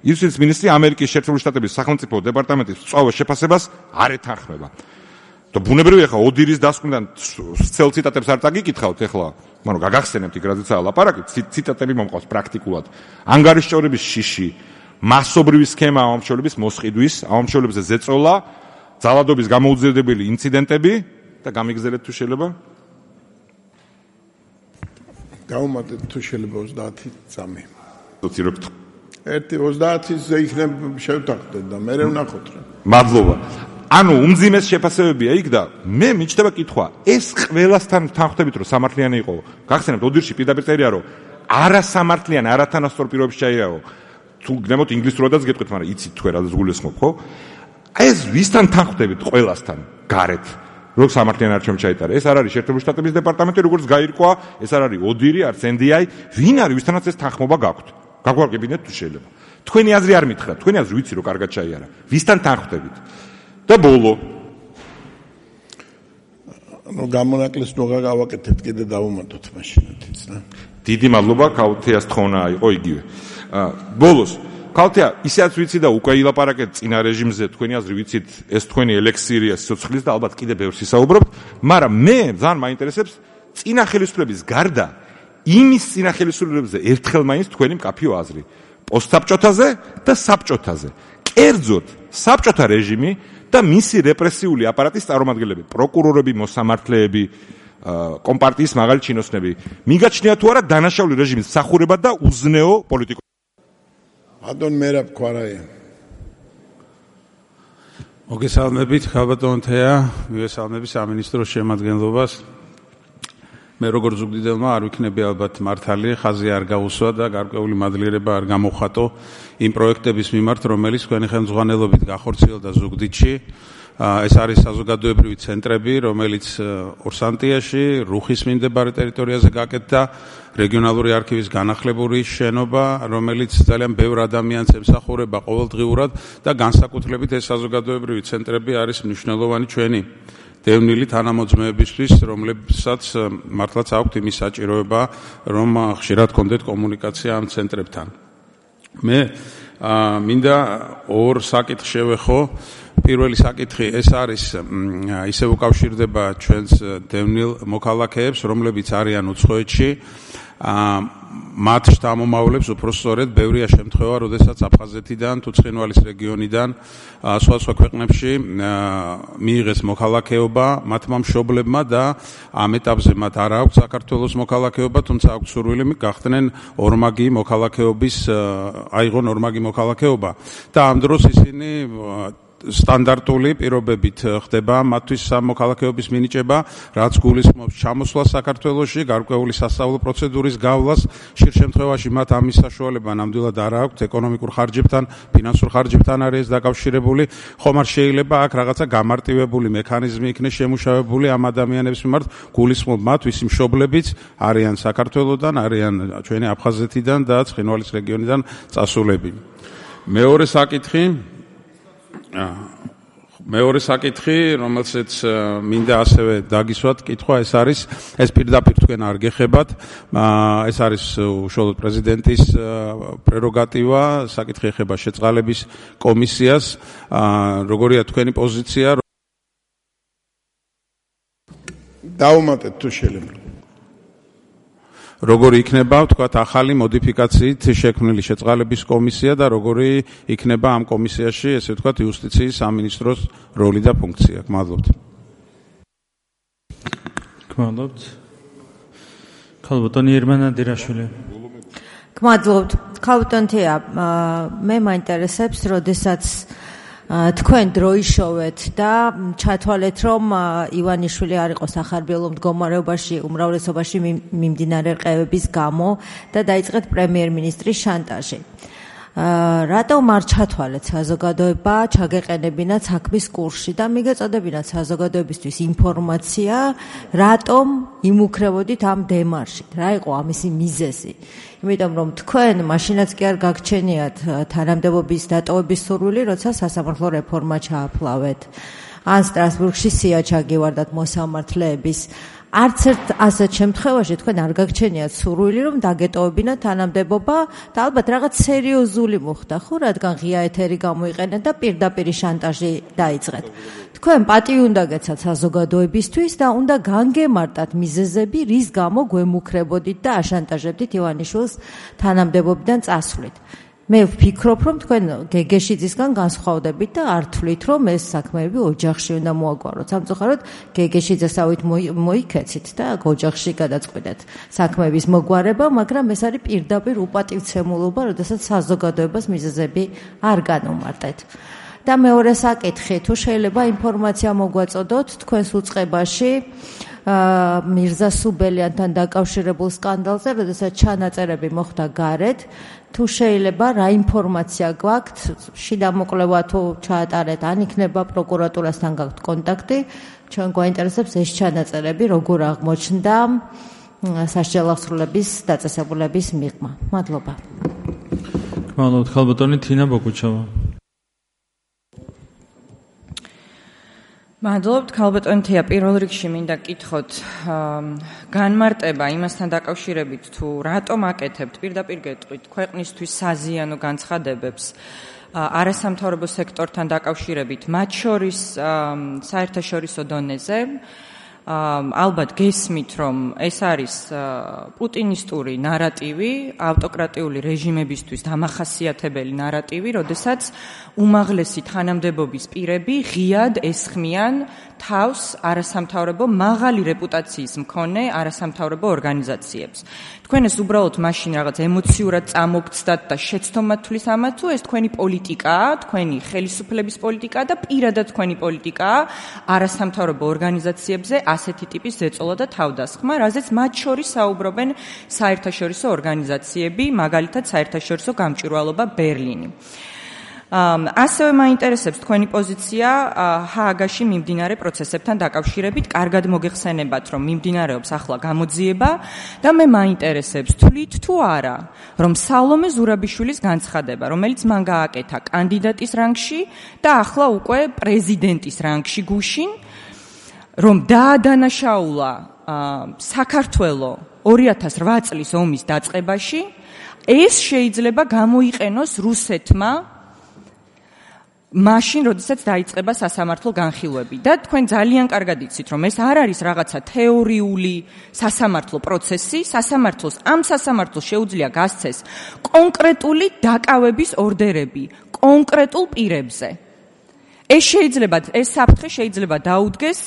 იუსტიციის მინისტრი ამერიკის შეერთებული შტატების სახელმწიფო დეპარტამენტის სწავლა შეფასებას არ ეთანხმება. და ბუნებრივია ხა ოდირის დასკვნიდან ცელ ციტატებს არ წაგიკითხავთ ეხლა, მაგრამ გაგახსენებთ იქ რაზეცაა ლაპარაკი, ციტატები მომყავს პრაქტიკულად. ანგარიშჭორების შიში მასობრივი სქემა ამომრჩევლების მოსყიდვის, ამომრჩევლებზე ზეწოლა, ძალადობის გამოუძიებელი ინციდენტები და გამიგზელეთ თუ შეიძლება. დაუმატეთ თუ შეიძლება ოცდაათი წამი. დოცირებთ. ერთი ოცდაათზე იქნებ შევთანხმდეთ და მე ვნახოთ რა. მადლობა. ანუ უმძიმეს შეფასებებია იქ და მე მიჩნდება კითხვა, ეს ყველასთან თანხმდებით რომ სამართლიანი იყო. გახსენებთ ოდირში პირდაპირ წერია რომ არასამართლიან, არათანასწორ პირობებში ჩაიაო. თუ გნებოთ ინგლისურადაც გეტყვით, მაგრამ იცით თქვენ რა გულისხმობ, ხო? აი ეს ვისთან თანხმდებით ყველასთან გარეთ, რომ სამართლიან არჩევნებში ჩაიტარა. ეს არ არის შეერთებული შტატების დეპარტამენტი, როგორც გაირკვა, ეს არ არის ოდირი, არც ენ დი აი, ვინ არის ვისთანაც ეს თანხმობა გაქვთ? გაგვარგებინეთ თუ შეიძლება. თქვენი აზრი არ მითხრა, თქვენი აზრი ვიცი რომ კარგად ჩაიარა. ვისთან თანხმდებით? და ბოლო ნუ გამონაკლისს ნუ გავაკეთებთ კიდე დავუმატოთ მაშინათიც რა. დიდი მადლობა ქალბატონს თხოვნა იყო იგივე. ბოლოს ქალბატონო ისეაც ვიცი და უკვე ილაპარაკეთ წინა რეჟიმზე თქვენი აზრი ვიცით ეს თქვენი ელექსირია სიცოცხლის და ალბათ კიდე ბევრს ისაუბრობთ, მაგრამ მე ძალიან მაინტერესებს წინა ხელისუფლების გარდა იმის წინა ხელისუფლებებზე ერთხელ მაინც თქვენი მკაფიო აზრი პოსტსაბჭოთაზე და საბჭოთაზე. კერძოდ საბჭოთა რეჟიმი და მისი რეპრესიული აპარატის წარმომადგენლები, პროკურორები, მოსამართლეები, კომპარტიის მაღალი ჩინოსნები. მიგაჩნია თუ არა დანაშაული რეჟიმის მსახურება და უზნეო პოლიტიკა. ადონ მერაბ ქვარაია. მოგესალმებით, ხალბატონ თეა, მივესალმები სამინისტროს შემადგენლობას. მე როგორც ზუგდიდელმა არ ვიქნები ალბათ მართალი, ხაზი არ გაუსვა და გარკვეული მადლიერება არ გამოხატო იმ პროექტების მიმართ, რომელიც თქვენი ხელმძღვანელობით გახორციელდა ზუგდიდში. ეს არის საზოგადოებრივი ცენტრები, რომელიც ორსანტიაში, რუხის მიმდებარე ტერიტორიაზე გაკეთდა, რეგიონალური არქივის განახლებული შენობა, რომელიც ძალიან ბევრ ადამიანს ემსახურება ყოველდღიურად და განსაკუთრებით ეს საზოგადოებრივი ცენტრები არის მნიშვნელოვანი ჩვენი დევნილი თანამოძმეებისთვის, რომლებსაც მართლაც აქვთ იმის საჭიროება, რომ ხშირად კონდეთ კომუნიკაცია ამ ცენტრებთან. მე მინდა ორ საკითხს შევეხო. პირველი საკითხი ეს არის ისე უკავშირდება ჩვენს დევნილ მოქალაქეებს, რომლებიც არიან უცხოეთში. მათ შთამომავლებს უფრო სწორედ ბევრია შემთხვევა, როდესაც აფხაზეთიდან თუ ცხინვალის რეგიონიდან სხვა სხვა ქვეყნებში მიიღეს მოქალაქეობა მათმა მშობლებმა და ამ ეტაპზე მათ არ აქვს საქართველოს მოქალაქეობა, თუმცა აქვს სურვილი გახდნენ ორმაგი მოქალაქეობის, აიღონ ორმაგი მოქალაქეობა და ამ დროს ისინი სტანდარტული პირობებით ხდება მათთვის მოქალაქეობის მინიჭება, რაც გულისხმობს ჩამოსვლას საქართველოში, გარკვეული სასწავლო პროცედურის გავლას. ხშირ შემთხვევაში მათ ამის საშუალება ნამდვილად არ აქვთ, ეკონომიკურ ხარჯებთან, ფინანსურ ხარჯებთან არის ეს დაკავშირებული. ხომ არ შეიძლება აქ რაღაცა გამარტივებული მექანიზმი იქნეს შემუშავებული ამ ადამიანებს მიმართ, გულისხმობ მათთვის მშობლებიც არიან საქართველოდან, არიან ჩვენი აფხაზეთიდან და ცხინვალის რეგიონიდან წასულები. მეორე საკითხი მეორე საკითხი, რომელსაც მინდა ასევე დაგისვათ კითხვა, ეს არის, ეს პირდაპირ თქვენ არ გეხებათ, ეს არის უშუალოდ პრეზიდენტის პრეროგატივა, საკითხი ეხება შეწყალების კომისიას, როგორია თქვენი პოზიცია? დაუმატეთ თუ შეიძლება. როგორი იქნება, თქვათ, ახალი მოდიფიკაციით შექმნილი შეწყალების კომისია და როგორი იქნება ამ კომისიაში, ესე ვთქვათ, იუსტიციის სამინისტროს როლი და ფუნქცია. გმადლობთ. გმადლობთ. ხალბატონი ერმანა დირაშვილი. გმადლობთ. ხალბატონ თეა, მე მაინტერესებს, როდესაც თქვენ დროიშოვეთ და ჩათვალეთ, რომ ივანიშვილი არ იყო სახარბიელო მდგომარეობაში უმრავლესობაში მიმდინარე რყევების გამო და დაიწყეთ პრემიერ-მინისტრის შანტაჟი. რატომ არ ჩათვალეთ საზოგადოება, ჩაგეყენებინათ საქმის კურსში და მიგეწოდებინათ საზოგადოებისთვის ინფორმაცია, რატომ იმუქრებოდით ამ დემარშით, რა იყო ამისი მიზეზი? იმიტომ რომ თქვენ მაშინაც კი არ გაგჩენიათ თანამდებობის დატოვების სურვილი, როცა სასამართლო რეფორმა ჩააფლავეთ. ან სტრასბურგში სია ჩაგივარდათ მოსამართლეების. არც ერთ ასეთ შემთხვევაში თქვენ არ გაგჩენიათ სურვილი, რომ დაგეტოვებინათ თანამდებობა და ალბათ რაღაც სერიოზული მოხდა, ხო, რადგან ღია ეთერი გამოიყენეთ და პირდაპირ შანტაჟი დაიწყეთ. თქვენ პატივი უნდა გეცათ საზოგადოებისთვის და უნდა განგემარტათ მიზეზები, რის გამო გვემუქრებოდით და აშანტაჟებდით ივანიშვილს თანამდებობიდან წასვლით. მე ვფიქრობ, რომ თქვენ გეგეშიძისგან განსხვავდებით და არ თვლით, რომ ეს საქმეები ოჯახში უნდა მოაგვაროთ. სამწუხაროდ გეგეშიძესავით მოიქეცით და ოჯახში გადაწყვეტეთ საქმეების მოგვარება, მაგრამ ეს არის პირდაპირ უპატივცემულობა, როდესაც საზოგადოებას მიზეზები არ განუმარტეთ. და მეორე საკითხი, თუ შეიძლება ინფორმაცია მოგვაწოდოთ თქვენს უწყებაში მირზა სუბელიანთან დაკავშირებულ სკანდალზე, როდესაც ჩანაწერები მოხდა გარეთ, თუ შეიძლება რა ინფორმაცია გვაქვთ, შიდა მოკვლევა თუ ჩაატარეთ, ან იქნება პროკურატურასთან გაქვთ კონტაქტი, ჩვენ გვაინტერესებს ეს ჩანაწერები როგორ აღმოჩნდა სასჯელო აღსრულების დაწესებულების მიღმა. მადლობა. გმადლობთ, ხალბატონი თინა ბოგუჩავა. მადლობთ, ხალბატონი თეა, პირველ რიგში მინდა გკითხოთ განმარტება იმასთან დაკავშირებით, თუ რატომ აკეთებთ, პირდაპირ გეტყვით, ქვეყნისთვის საზიანო განცხადებებს არასამთავრობო სექტორთან დაკავშირებით, მათ შორის საერთაშორისო დონეზე. ალბათ გესმით, რომ ეს არის პუტინისტური ნარატივი, ავტოკრატიული რეჟიმებისთვის დამახასიათებელი ნარატივი, როდესაც უმაღლესი თანამდებობის პირები ღიად ესხმიან თავს არასამთავრობო მაღალი რეპუტაციის მქონე არასამთავრობო ორგანიზაციებს. თქვენ ეს უბრალოდ მაშინ რაღაც ემოციურად წამოგცდათ და შეცდომად თulis ამათ, თუ ეს თქვენი პოლიტიკაა, თქვენი ხელისუფლების პოლიტიკაა და პირადად თქვენი პოლიტიკაა არასამთავრობო ორგანიზაციებზე ასეთი ტიპის ზეწოლა და თავდასხმა, რაზეც მათ შორის საუბრობენ საერთაშორისო ორგანიზაციები, მაგალითად საერთაშორისო გამჭვირვალობა ბერლინი. ასევე მაინტერესებს თქვენი პოზიცია ჰააგაში მიმდინარე პროცესებთან დაკავშირებით. კარგად მოგეხსენებათ, რომ მიმდინარეობს ახლა გამოძიება და მე მაინტერესებს თვლით თუ არა, რომ სალომე ზურაბიშვილის განცხადება, რომელიც მან გააკეთა კანდიდატის რანგში და ახლა უკვე პრეზიდენტის რანგში გუშინ, რომ დაადანაშაულა საქართველო ორი ათას რვა წლის ომის დაწყებაში, ეს შეიძლება გამოიყენოს რუსეთმა მაშინ, როდესაც დაიწყება სასამართლო განხილვები და თქვენ ძალიან კარგად იცით, რომ ეს არ არის რაღაცა თეორიული სასამართლო პროცესი, სასამართლოს ამ სასამართლოს შეუძლია გასცეს კონკრეტული დაკავების ორდერები კონკრეტულ პირებზე. ეს შეიძლება, ეს საფრთხე შეიძლება დაუდგეს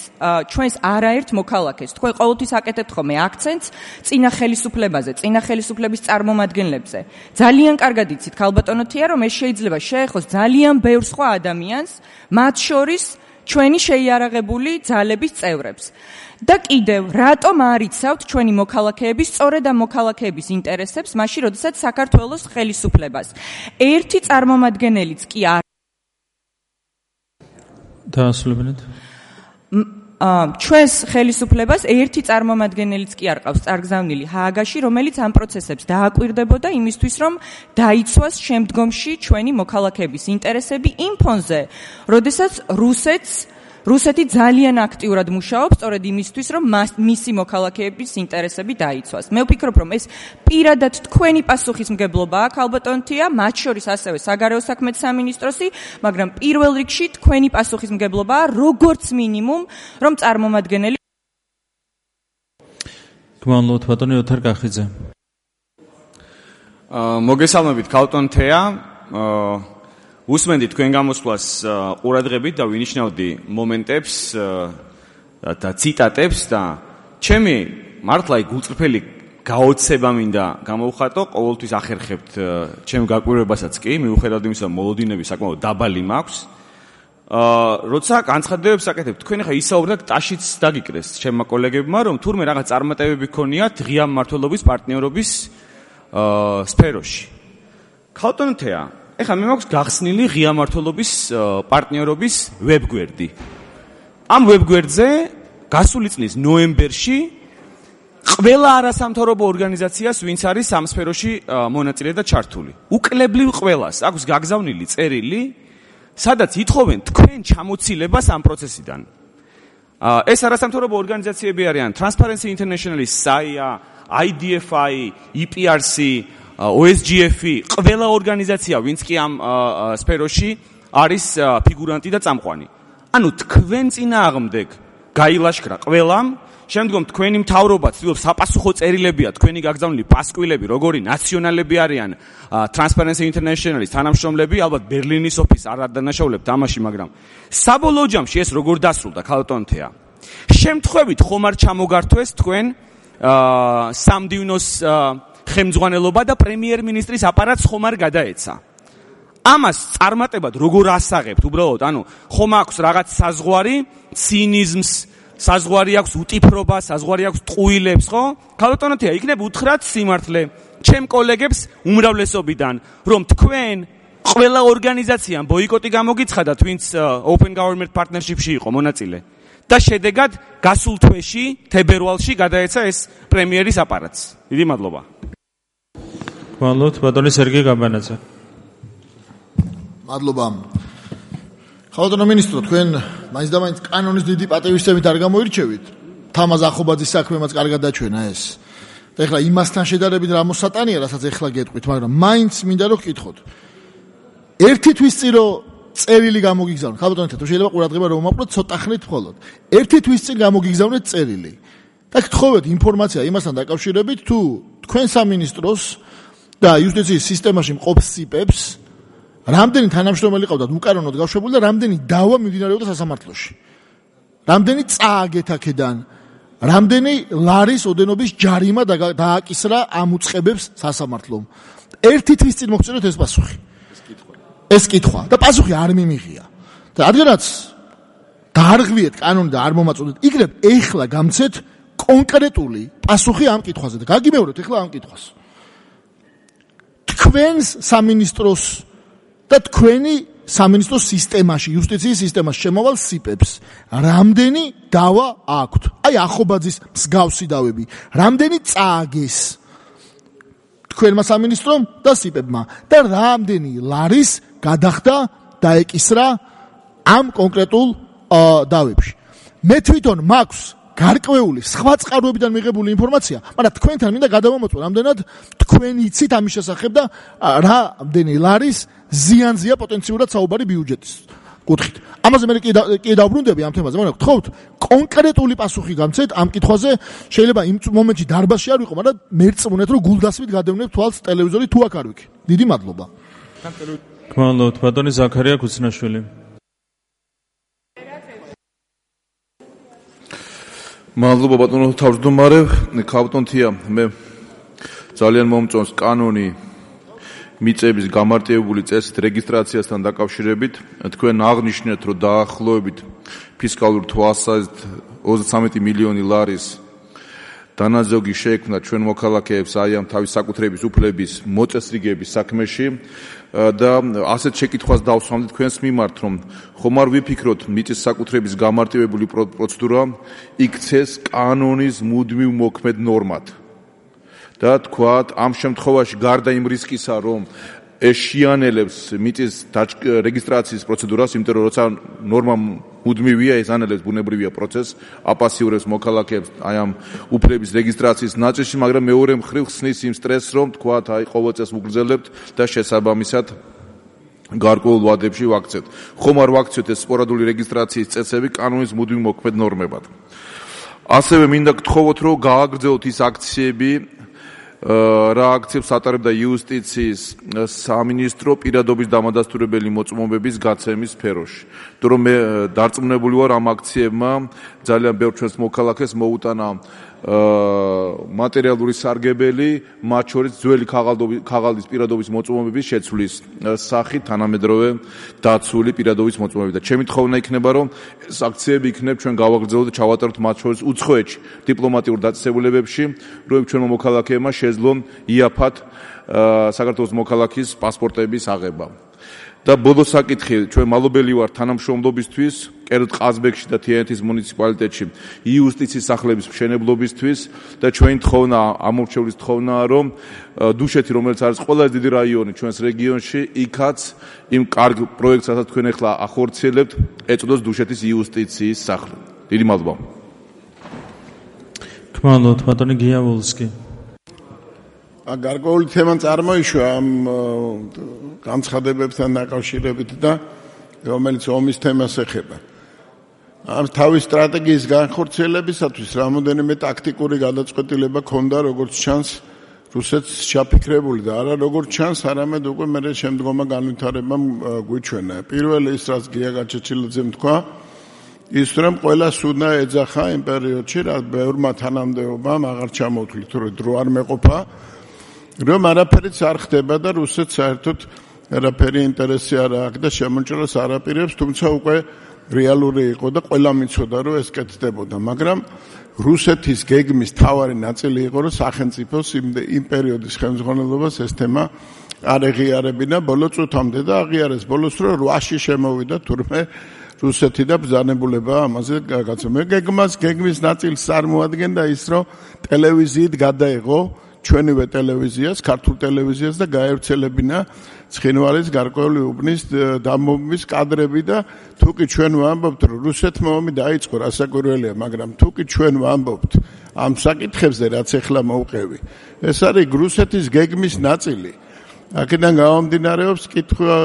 ჩვენს არაერთ მოქალაქეს. თქვენ ყოველთვის აკეთებთ ხოლმე აქცენტს წინა ხელისუფლებაზე, წინა ხელისუფლების წარმომადგენლებზე. ძალიან კარგად იცით, ქალბატონოთია, რომ ეს შეიძლება შეეხოს ძალიან ბევრ სხვა ადამიანს, მათ შორის ჩვენი შეიარაღებული ძალების წევრებს. და კიდევ, რატომ არ იცავთ ჩვენი მოქალაქეების, სწორედ ამ მოქალაქეების ინტერესებს, მაშინ, როდესაც საქართველოს ხელისუფლებას ერთი წარმომადგენელიც კი არ დაასრულებინეთ. ჩვენს ხელისუფლებას ერთი წარმომადგენელიც კი არ ყავს წარგზავნილი ჰააგაში, რომელიც ამ პროცესებს დააკვირდებოდა იმისთვის, რომ დაიცვას შემდგომში ჩვენი მოქალაქეების ინტერესები იმ ფონზე, როდესაც რუსეთს რუსეთი ძალიან აქტიურად მუშაობს სწორედ იმისთვის, რომ მისი მოქალაქეების ინტერესები დაიცვას. მე ვფიქრობ, რომ ეს პირადად თქვენი პასუხისმგებლობაა, ქალბატონთია, მათ შორის ასევე საგარეო საქმეთა სამინისტროსი, მაგრამ პირველ რიგში თქვენი პასუხისმგებლობაა, როგორც მინიმუმ, რომ წარმომადგენელი გმანლობთ ბატონი ოთარ კახიძე. მოგესალმებით ქალბატონთია. უსმენდი თქვენ გამოსვლას ყურადღებით და ვინიშნავდი მომენტებს და ციტატებს და ჩემი მართლა გულწრფელი გაოცება მინდა გამოვხატო, ყოველთვის ახერხებთ ჩემ გაკვირვებასაც კი, მიუხედავად იმისა, რომ მოლოდინები საკმაოდ დაბალი მაქვს. როცა განცხადებებს აკეთებ, თქვენ ახლა ისაუბრეთ ტაშიც დაგიკრეს ჩემმა კოლეგებმა, რომ თურმე რაღაც წარმატებები ქონიათ ღია მმართველობის პარტნიორობის სფეროში. ქალბატონთია, ეხლა მე მაქვს გახსნილი ღია მმართველობის პარტნიორობის ვებგვერდი. ამ ვებგვერდზე გასული წლის ნოემბერში ყველა არასამთავრობო ორგანიზაციას, ვინც არის ამ სფეროში მონაწილე და ჩართული, უკლებლივ ყველას აქვს გაგზავნილი წერილი, სადაც ითხოვენ თქვენ ჩამოცილებას ამ პროცესიდან. ეს არასამთავრობო ორგანიზაციები არიან Transparency International-ის საია, I D F I, E P R C, O S G F, ყველა ორგანიზაცია, ვინც კი ამ სფეროში არის ფიგურანტი და წამყვანი. ანუ თქვენ წინააღმდეგ გაილაშქრა ყველამ, შემდგომ თქვენი მთავრობა ცდილობს საპასუხო წერილებია თქვენი გაგზავნილი პასკვილები, როგორი ნაციონალები არიან Transparency International-ის თანამშრომლები, ალბათ ბერლინის ოფისს არ ადანაშაულებთ ამაში, მაგრამ საბოლოო ჯამში ეს როგორ დასრულდა ქალბატონთია? შემთხვევით ხომ არ ჩამოგართვეს თქვენ სამდივნოს ხელმძღვანელობა და პრემიერ-მინისტრის აპარატს ხომ არ გადაეცა? ამას წარმატებად როგორ ასაღებთ უბრალოდ? ანუ ხომ აქვს რაღაც საზღვარი ცინიზმს, საზღვარი აქვს უტიფრობას, საზღვარი აქვს ტყუილებს, ხო? ქალბატონოთია, იქნებ უთხრათ სიმართლე ჩემ კოლეგებს უმრავლესობიდან, რომ თქვენ ყველა ორგანიზაციამ ბოიკოტი გამოგიცხადათ, ვინც Open Government Partnership-ში იყო მონაწილე. და შედეგად გასულ თვეში, თებერვალში გადაეცა ეს პრემიერის აპარატს. დიდი მადლობა. გვალოთ, ბატონი სერგეი გაბანაძე. მადლობა. ხალხო მინისტრო, თქვენ მაინც და მაინც კანონის დიდი პატივისცემით არ გამოირჩევით. თამაზ ახობაძის საქმემაც კარგად დაჩვენა ეს. და ეხლა იმასთან შედარებით რა მოსატანია, რასაც ეხლა გეტყვით, მაგრამ მაინც მინდა რომ გკითხოთ. ერთი თვის წინ რო წერილი გამოგიგზავნეთ. ხალხო თუ შეიძლება ყურადღება რომ მომაყვროთ ცოტა ხნით მხოლოდ. ერთი თვის წინ გამოგიგზავნეთ წერილი. და გთხოვეთ ინფორმაცია იმასთან დაკავშირებით, თუ თქვენ სამინისტროს და იუსტიციის სისტემაში მყოფ სიპებს რამდენი თანამშრომელი ყავდათ უკანონოდ გაშვებული და რამდენი დავა მიმდინარეობდა სასამართლოში. რამდენი წააგეთ აქედან, რამდენი ლარის ოდენობის ჯარიმა დააკისრა ამ უწყებებს სასამართლომ. ერთი თვის წინ მოგწეროთ ეს პასუხი. ეს კითხვა და პასუხი არ მიმიღია. და რადგანაც დაარღვიეთ კანონი და არ მომაწოდეთ, იგრებ ეხლა გამცეთ კონკრეტული პასუხი ამ კითხვაზე და გაგიმეორებთ ეხლა ამ კითხვას. თქვენს სამინისტროს და თქვენი სამინისტროს სისტემაში, იუსტიციის სისტემაში შემოვალ სიპებს რამდენი დავა აქვთ? აი ახობაძის მსგავსი დავები, რამდენი წააგეს თქვენმა სამინისტრომ და სიპებმა და რამდენი ლარის გადახდა დაეკისრა ამ კონკრეტულ დავებში. მე თვითონ მაქვს გარკვეული სხვა წყაროებიდან მიღებული ინფორმაცია, მაგრამ თქვენთან მინდა გადავამოწმო, რამდენად თქვენ იცით ამის შესახებ და რამდენი ლარის ზიანზია პოტენციურად საუბარი ბიუჯეტის კუთხით. ამაზე მე კი დავბრუნდები ამ თემაზე, მაგრამ გთხოვთ კონკრეტული პასუხი გამცეთ ამ კითხვაზე. შეიძლება იმ მომენტში დარბაზში არ ვიყო, მაგრამ მერწმუნეთ, რომ გულდასმით გადევნებ თვალს ტელევიზორი თუ აქ არ ვიქ. დიდი მადლობა. გმადლობთ, ბატონი ზაქარია ქუცნაშვილი. მადლობა ბატონო თავმჯდომარე, ქალბატონთია, მე ძალიან მომწონს კანონი მიწების გამარტივებული წესით რეგისტრაციასთან დაკავშირებით. თქვენ აღნიშნეთ, რომ დაახლოებით ფისკალურ თვალსაზრისით ოცდათრამეტი მილიონი ლარის დანაზოგი შეექმნა ჩვენ მოქალაქეებს აი ამ თავის საკუთრების უფლების მოწესრიგების საქმეში და ასეთ შეკითხვას დავსვამდი თქვენს მიმართ, რომ ხომ არ ვიფიქროთ მიწის საკუთრების გამარტივებული პროცედურა იქცეს კანონის მუდმივ მოქმედ ნორმად. და თქვათ ამ შემთხვევაში გარდა იმ რისკისა, რომ ეშიანელებს მიწის რეგისტრაციის პროცედურას, იმიტომ რომ როცა ნორმა მუდმივია, ეს ანელებს ბუნებრივია პროცესს, აპასიურებს მოქალაქეებს აი ამ უფლების რეგისტრაციის ნაწილში, მაგრამ მეორე მხრივ ხსნის იმ სტრესს, რომ თქვათ აი ყოველ წელს ვუგრძელებთ და შესაბამისად გარკვეულ ვადებში ვაქცევთ. ხომ არ ვაქცევთ ეს სპორადული რეგისტრაციის წესები კანონის მუდმივ მოქმედ ნორმებად. ასევე მინდა გთხოვოთ, რომ გააგრძელოთ ის აქციები, რა აქციებს ატარებდა იუსტიციის სამინისტრო პირადობის დამადასტურებელი მოწმობების გაცემის სფეროში. თუ რომ მე დარწმუნებული ვარ ამ აქციებმა ძალიან ბევრ ჩვენს მოქალაქეს მოუტანა მატერიალური სარგებელი, მათ შორის ძველი ქაღალდის პირადობის მოწმობების შეცვლის სახით თანამედროვე დაცული პირადობის მოწმობები. და ჩემი თხოვნა იქნება, რომ ეს აქციები იქნებ ჩვენ გავაგრძელოთ და ჩავატაროთ მათ შორის უცხოეთში დიპლომატიურ დაწესებულებებში, რომ ჩვენმა მოქალაქეებმა შეძლონ იაფად საქართველოს მოქალაქის პასპორტების აღება. და ბოლო საკითხი, ჩვენ მალობელი ვართ თანამშრომლობისთვის, კერძოდ ყაზბეგში და თიანეთის მუნიციპალიტეტში იუსტიციის სახლების მშენებლობისთვის და ჩვენი თხოვნა, ამორჩევლის თხოვნაა, რომ დუშეთი, რომელიც არის ყველაზე დიდი რაიონი ჩვენს რეგიონში, იქაც იმ კარგ პროექტს, რასაც თქვენ ახლა ახორციელებთ, ეწოდოს დუშეთის იუსტიციის სახლი. დიდი მადლობა. გმადლობთ, ბატონი გიავოლსკი. გარკვეული თემა წარმოიშვა ამ განცხადებებთან დაკავშირებით და რომელიც ომის თემას ეხება. ამ თავის სტრატეგიის განხორციელებისათვის რამოდენიმე ტაქტიკური გადაწყვეტილება ქონდა, როგორც ჩანს, რუსეთს ჩაფიქრებული და არა როგორც ჩანს, არამედ უკვე მე შემდგომა განვითარებამ გვიჩვენა. პირველი ის, რაც გია გაჩეჩილაძემ თქვა, ის რომ ყველას უნდა ეძახა იმ პერიოდში, რაც ბევრმა თანამდებობამ აღარ ჩამოთვლით, რომ დრო არ მეყოფა. რომ არაფერიც არ ხდება და რუსეთს საერთოდ არაფერი ინტერესი არ აქვს და შემოჭრას არ აპირებს, თუმცა უკვე რეალური იყო და ყველა მიცოდა, რომ ეს კეთდებოდა. მაგრამ რუსეთის გეგმის თავარი ნაწილი იყო, რომ სახელმწიფოს იმ პერიოდის ხელმძღვანელობას ეს თემა არ ეღიარებინა ბოლო წუთამდე და აღიარეს ბოლოს, რომ რვაში შემოვიდა თურმე რუსეთი და ბრძანებულება ამაზე გაგაცნო. გეგმას გეგმის ნაწილს წარმოადგენდა ის, რომ ტელევიზიით გადაეღო ჩვენივე ტელევიზიას, ქართულ ტელევიზიას და გაევრცელებინა ცხინვალის გარკვეული უბნის დამობის კადრები და თუკი ჩვენ ვამბობთ, რომ რუსეთმა ომი დაიწყო, რასაკვირველია, მაგრამ თუკი ჩვენ ვამბობთ ამ საკითხებზე, რაც ახლა მოვყევი, ეს არის რუსეთის გეგმის ნაწილი. აქედან გამომდინარეობს კითხვა,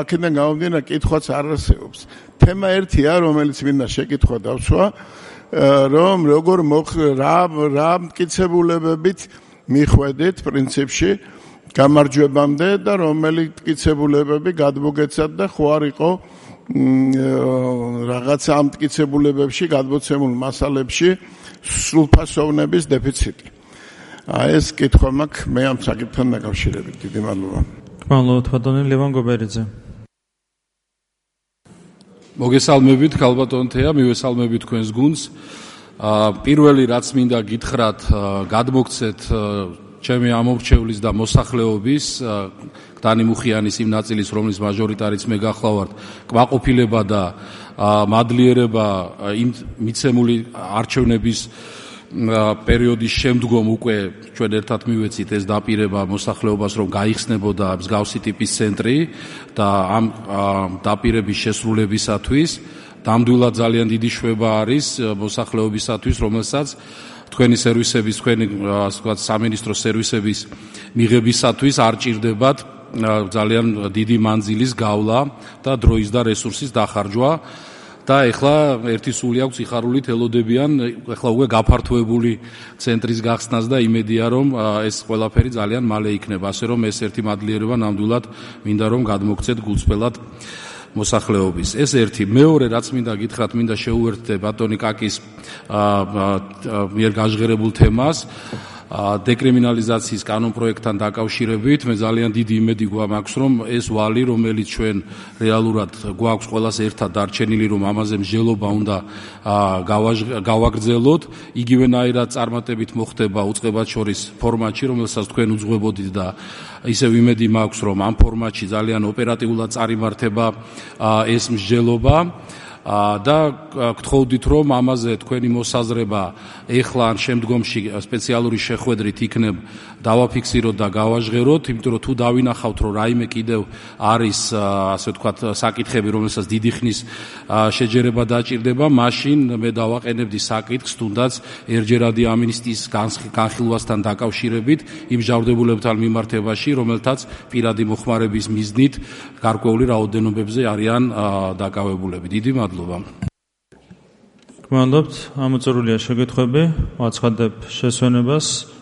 აქედან გამომდინარე კითხვაც არ არსებობს. თემა ერთია, რომელიც მინდა შეკითხვა დავსვა, რომ როგორ რა რა მტკიცებულებებით მიხვედით პრინციპში გამარჯვებამდე და რომელი მტკიცებულებები გადმოგეცათ და ხო არ იყო რაღაც ამტკიცებულებებში, გადმოცემულ მასალებში სრულფასოვნების დეფიციტი. აი ეს კითხვა მაქვს მე ამ საკითხთან დაკავშირებით. დიდი მადლობა. მადლობა თვადონი ლევან გობერიძე. მოგესალმებით ქალბატონთეა, მივესალმებით თქვენს გუნდს. პირველი რაც მინდა გითხრათ, გადმოგცეთ ჩემი ამორჩევლის და მოსახლეობის დანი მუხიანის იმ ნაწილის, რომლის მაჟორიტარიც მე გახლავართ, კმაყოფილება და მადლიერება იმ მიცემული არჩევნების პერიოდის შემდგომ უკვე ჩვენ ერთად მივეცით ეს დაპირება მოსახლეობას, რომ გაიხსნებოდა მსგავსი ტიპის ცენტრი და ამ დაპირების შესრულებისათვის ნამდვილად ძალიან დიდი შვება არის მოსახლეობისათვის, რომელსაც თქვენი სერვისების, თქვენი ასე ვთქვათ, სამინისტრო სერვისების მიღებისათვის არ ჭირდებათ ძალიან დიდი მანძილის გავლა და დროის და რესურსის დახარჯვა. და ეხლა ერთი სული აქვს სიხარულით ელოდებიან ეხლა უკვე გაფართოებული ცენტრის გახსნას და იმედია რომ ეს ყველაფერი ძალიან მალე იქნება, ასე რომ ეს ერთი მადლიერება ნამდვილად მინდა რომ გადმოგცეთ გულწრფელად მოსახლეობის. ეს ერთი. მეორე რაც მინდა გითხრათ, მინდა შეუერთდე ბატონი კაკის მიერ გაჟღერებულ თემას დეკრიმინალიზაციის კანონპროექტთან დაკავშირებით. მე ძალიან დიდი იმედი გვაქვს, რომ ეს ვალი, რომელიც ჩვენ რეალურად გვაქვს ყველას ერთად დარჩენილი, რომ ამაზე მსჯელობა უნდა გავაგრძელოთ, იგივენაირად წარმატებით მოხდება უწყებად შორის ფორმატში, რომელსაც თქვენ უძღვებოდით და ისევ იმედი მაქვს, რომ ამ ფორმატში ძალიან ოპერატიულად წარიმართება ეს მსჯელობა. და გთხოვდით რომ ამაზე თქვენი მოსაზრება ეხლა ან შემდგომში სპეციალური შეხვედრით იქნებ დავაფიქსიროთ და გავაჟღეროთ, იმიტომ რომ თუ დავინახავთ რომ რაიმე კიდევ არის ასე ვთქვათ საკითხები, რომელსაც დიდი ხნის შეჯერება დაჭირდება, მაშინ მე დავაყენებდი საკითხს თუნდაც ერჯერადი ამინისტიის განხილვასთან დაკავშირებით იმ ჯავდებულებთან მიმართებაში, რომელთაც პირადი მოხმარების მიზნით გარკვეული რაოდენობებზე არიან დაკავებულები. დიდი მადლობა. გმადლობთ, ამოწურულია შეკითხვები, ვაცხადებ შესვენებას.